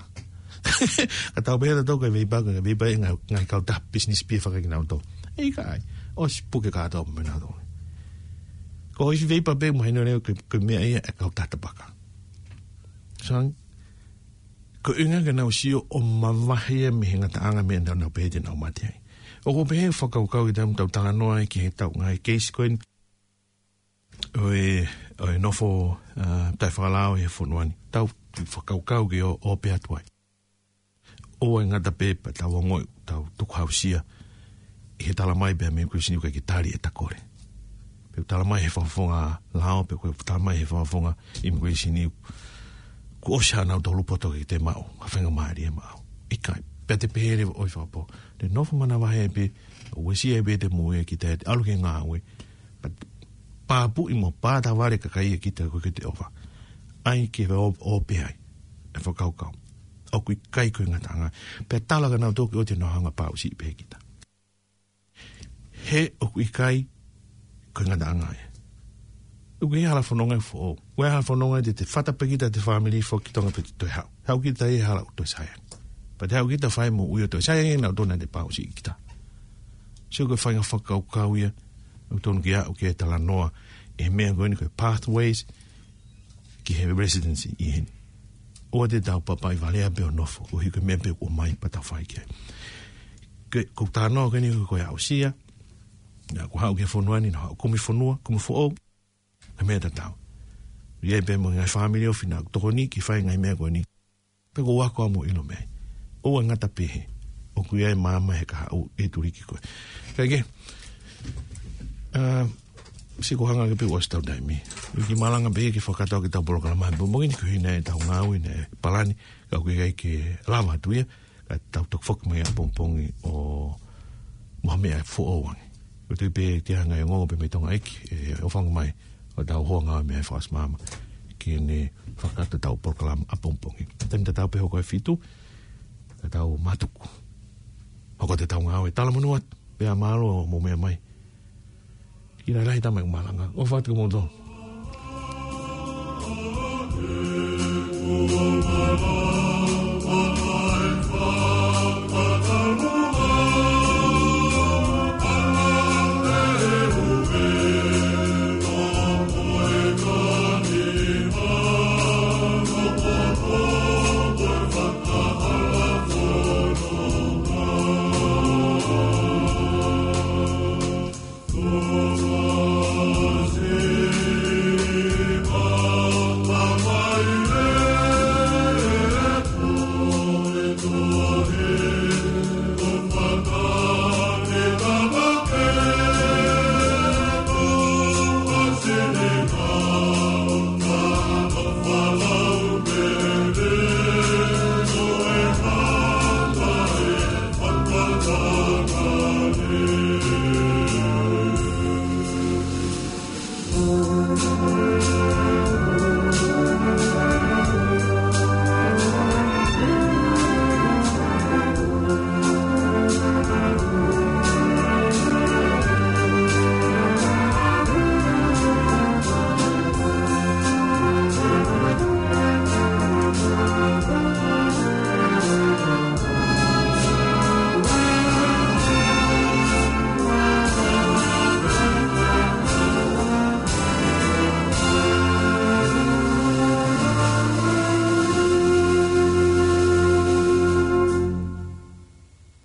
Ka tau pehē ʻe tautolu ko e veipa, ko e veipa ē, ngaahi, ngaahi kautaha business pē ia faka kinautolu. ʻIkai, ʻosi puke kātoa mai nautolu. Ko e ifi veipa pē mo hino leo ko e, ko e meʻa ia e kautaha tapaka. Sai, ko e ʻuhinga ke nau sio ʻo mavahe ia mei he ngataʻanga meʻa naʻa nau pehē te nau mate ai. ʻOku ou pehē fakakaukau ki he taimi tau talanoa ai ki he tau ngaahi keisi ko eni. ʻo e, ʻo e nofo, uh, taʻefakalao he fonua ni. Tau fakakaukau ke ō, ō pē atu ai. ʻOua ʻe ngata pē pea tau ongoʻi, tau tukuhausia. ʻI he tala mai pē mei he kuisini ʻoku ʻikai ke tali ʻeta kole. Pe ʻoku tala mai he fakafofonga lao, pe ʻoku tala mai he fakafofonga immigration. Kuo ʻosi ʻa nautolu poto ke te maʻu, ha faingamālie maʻu. ʻIkai, pea te pehē leva ʻoku fakapō. Te nofo manavahē pē, ʻo uesia pē te moʻui ʻa kita ʻi he ʻalu ki he ngāue. Pea pāpuʻi mo pātavale kakai ʻa kita ko ē ke te ʻova. ʻAi ke ō, ō pē ai. E fakakaukau. ʻOku ʻikai ko e ngataʻanga. Pea tala kia nautolu ke ʻoua te nau hanga ʻo pauʻusiʻi pē kita. He ʻoku ʻikai ko e ngataʻanga ia. ʻOku ʻi ai e hala fononga ʻoku foʻou. ʻOku ʻi ai e hala fononga te te fata pē kita, te fāmili foki ki Tonga pea te toe haʻu. Haʻu kita ʻi he hala ʻoku toe saiangi. Pea te haʻu kita ʻo fai e moʻui ʻo toe saiangi, nautolu naʻa nau pauʻusiʻi kita. Sio, ko e faʻahinga fakakaukau ia ʻoku totonu ke aʻu ki he talanoa ʻi he meʻa ko eni ko e pathways ki he residency ʻi heni. ʻOua te tau papaivalea pē ʻo nofo, ʻo hiko e meʻa pē ʻoku ʻomai pea tau fai ki ai. Ke, ko e talanoa ko eni ko e aʻusia, naʻa ku haʻu ki he fonua ni, naʻa ku haʻu kumi fonua, kumi foʻou, ko e meʻa tatau. ʻI ai pē mo e ngaahi fāmili ofi naʻa ku tokoni ke fai e ngaahi meʻa ko eni. Pea ʻoku ou ako au mo ʻilo mei ai. ʻOua ʻe ngata pē he ʻoku ʻi ai e maama he kahaʻu ʻe tuliki koe. Kae kehe, ʻa, sio, ko e hanga ange pē ʻoku ʻosi ʻetau taimi. ʻOku ou kiʻi malanga pē ke fakakakato ʻaki ʻetau polokalama he pongipongi ni, ko e hā ʻetau ngāue, ʻetau palani, ka ʻoku ʻikai ke lava atu ia, ka tau toki foki mai ʻapongipongi ʻo maʻu ha meʻa foʻou ange. Ko e tui pē ke hanga ʻe he ongoongo pē mei Tonga ʻEiki, ʻe ʻoange mai ʻo tau hoa ngāue mei he Fakaʻosi Māmā ke ne fakakakato ʻetau polokalama ʻapongipongi. Taimi tatau pē hoko e fitu, ka tau mātuku. Hoko atu ʻetau ngāue, talamonū atu, pea mālō hoʻomou meʻa mai. Kiʻi lahilahi e tama ʻeku malanga. ʻOfa atu kimoutolu.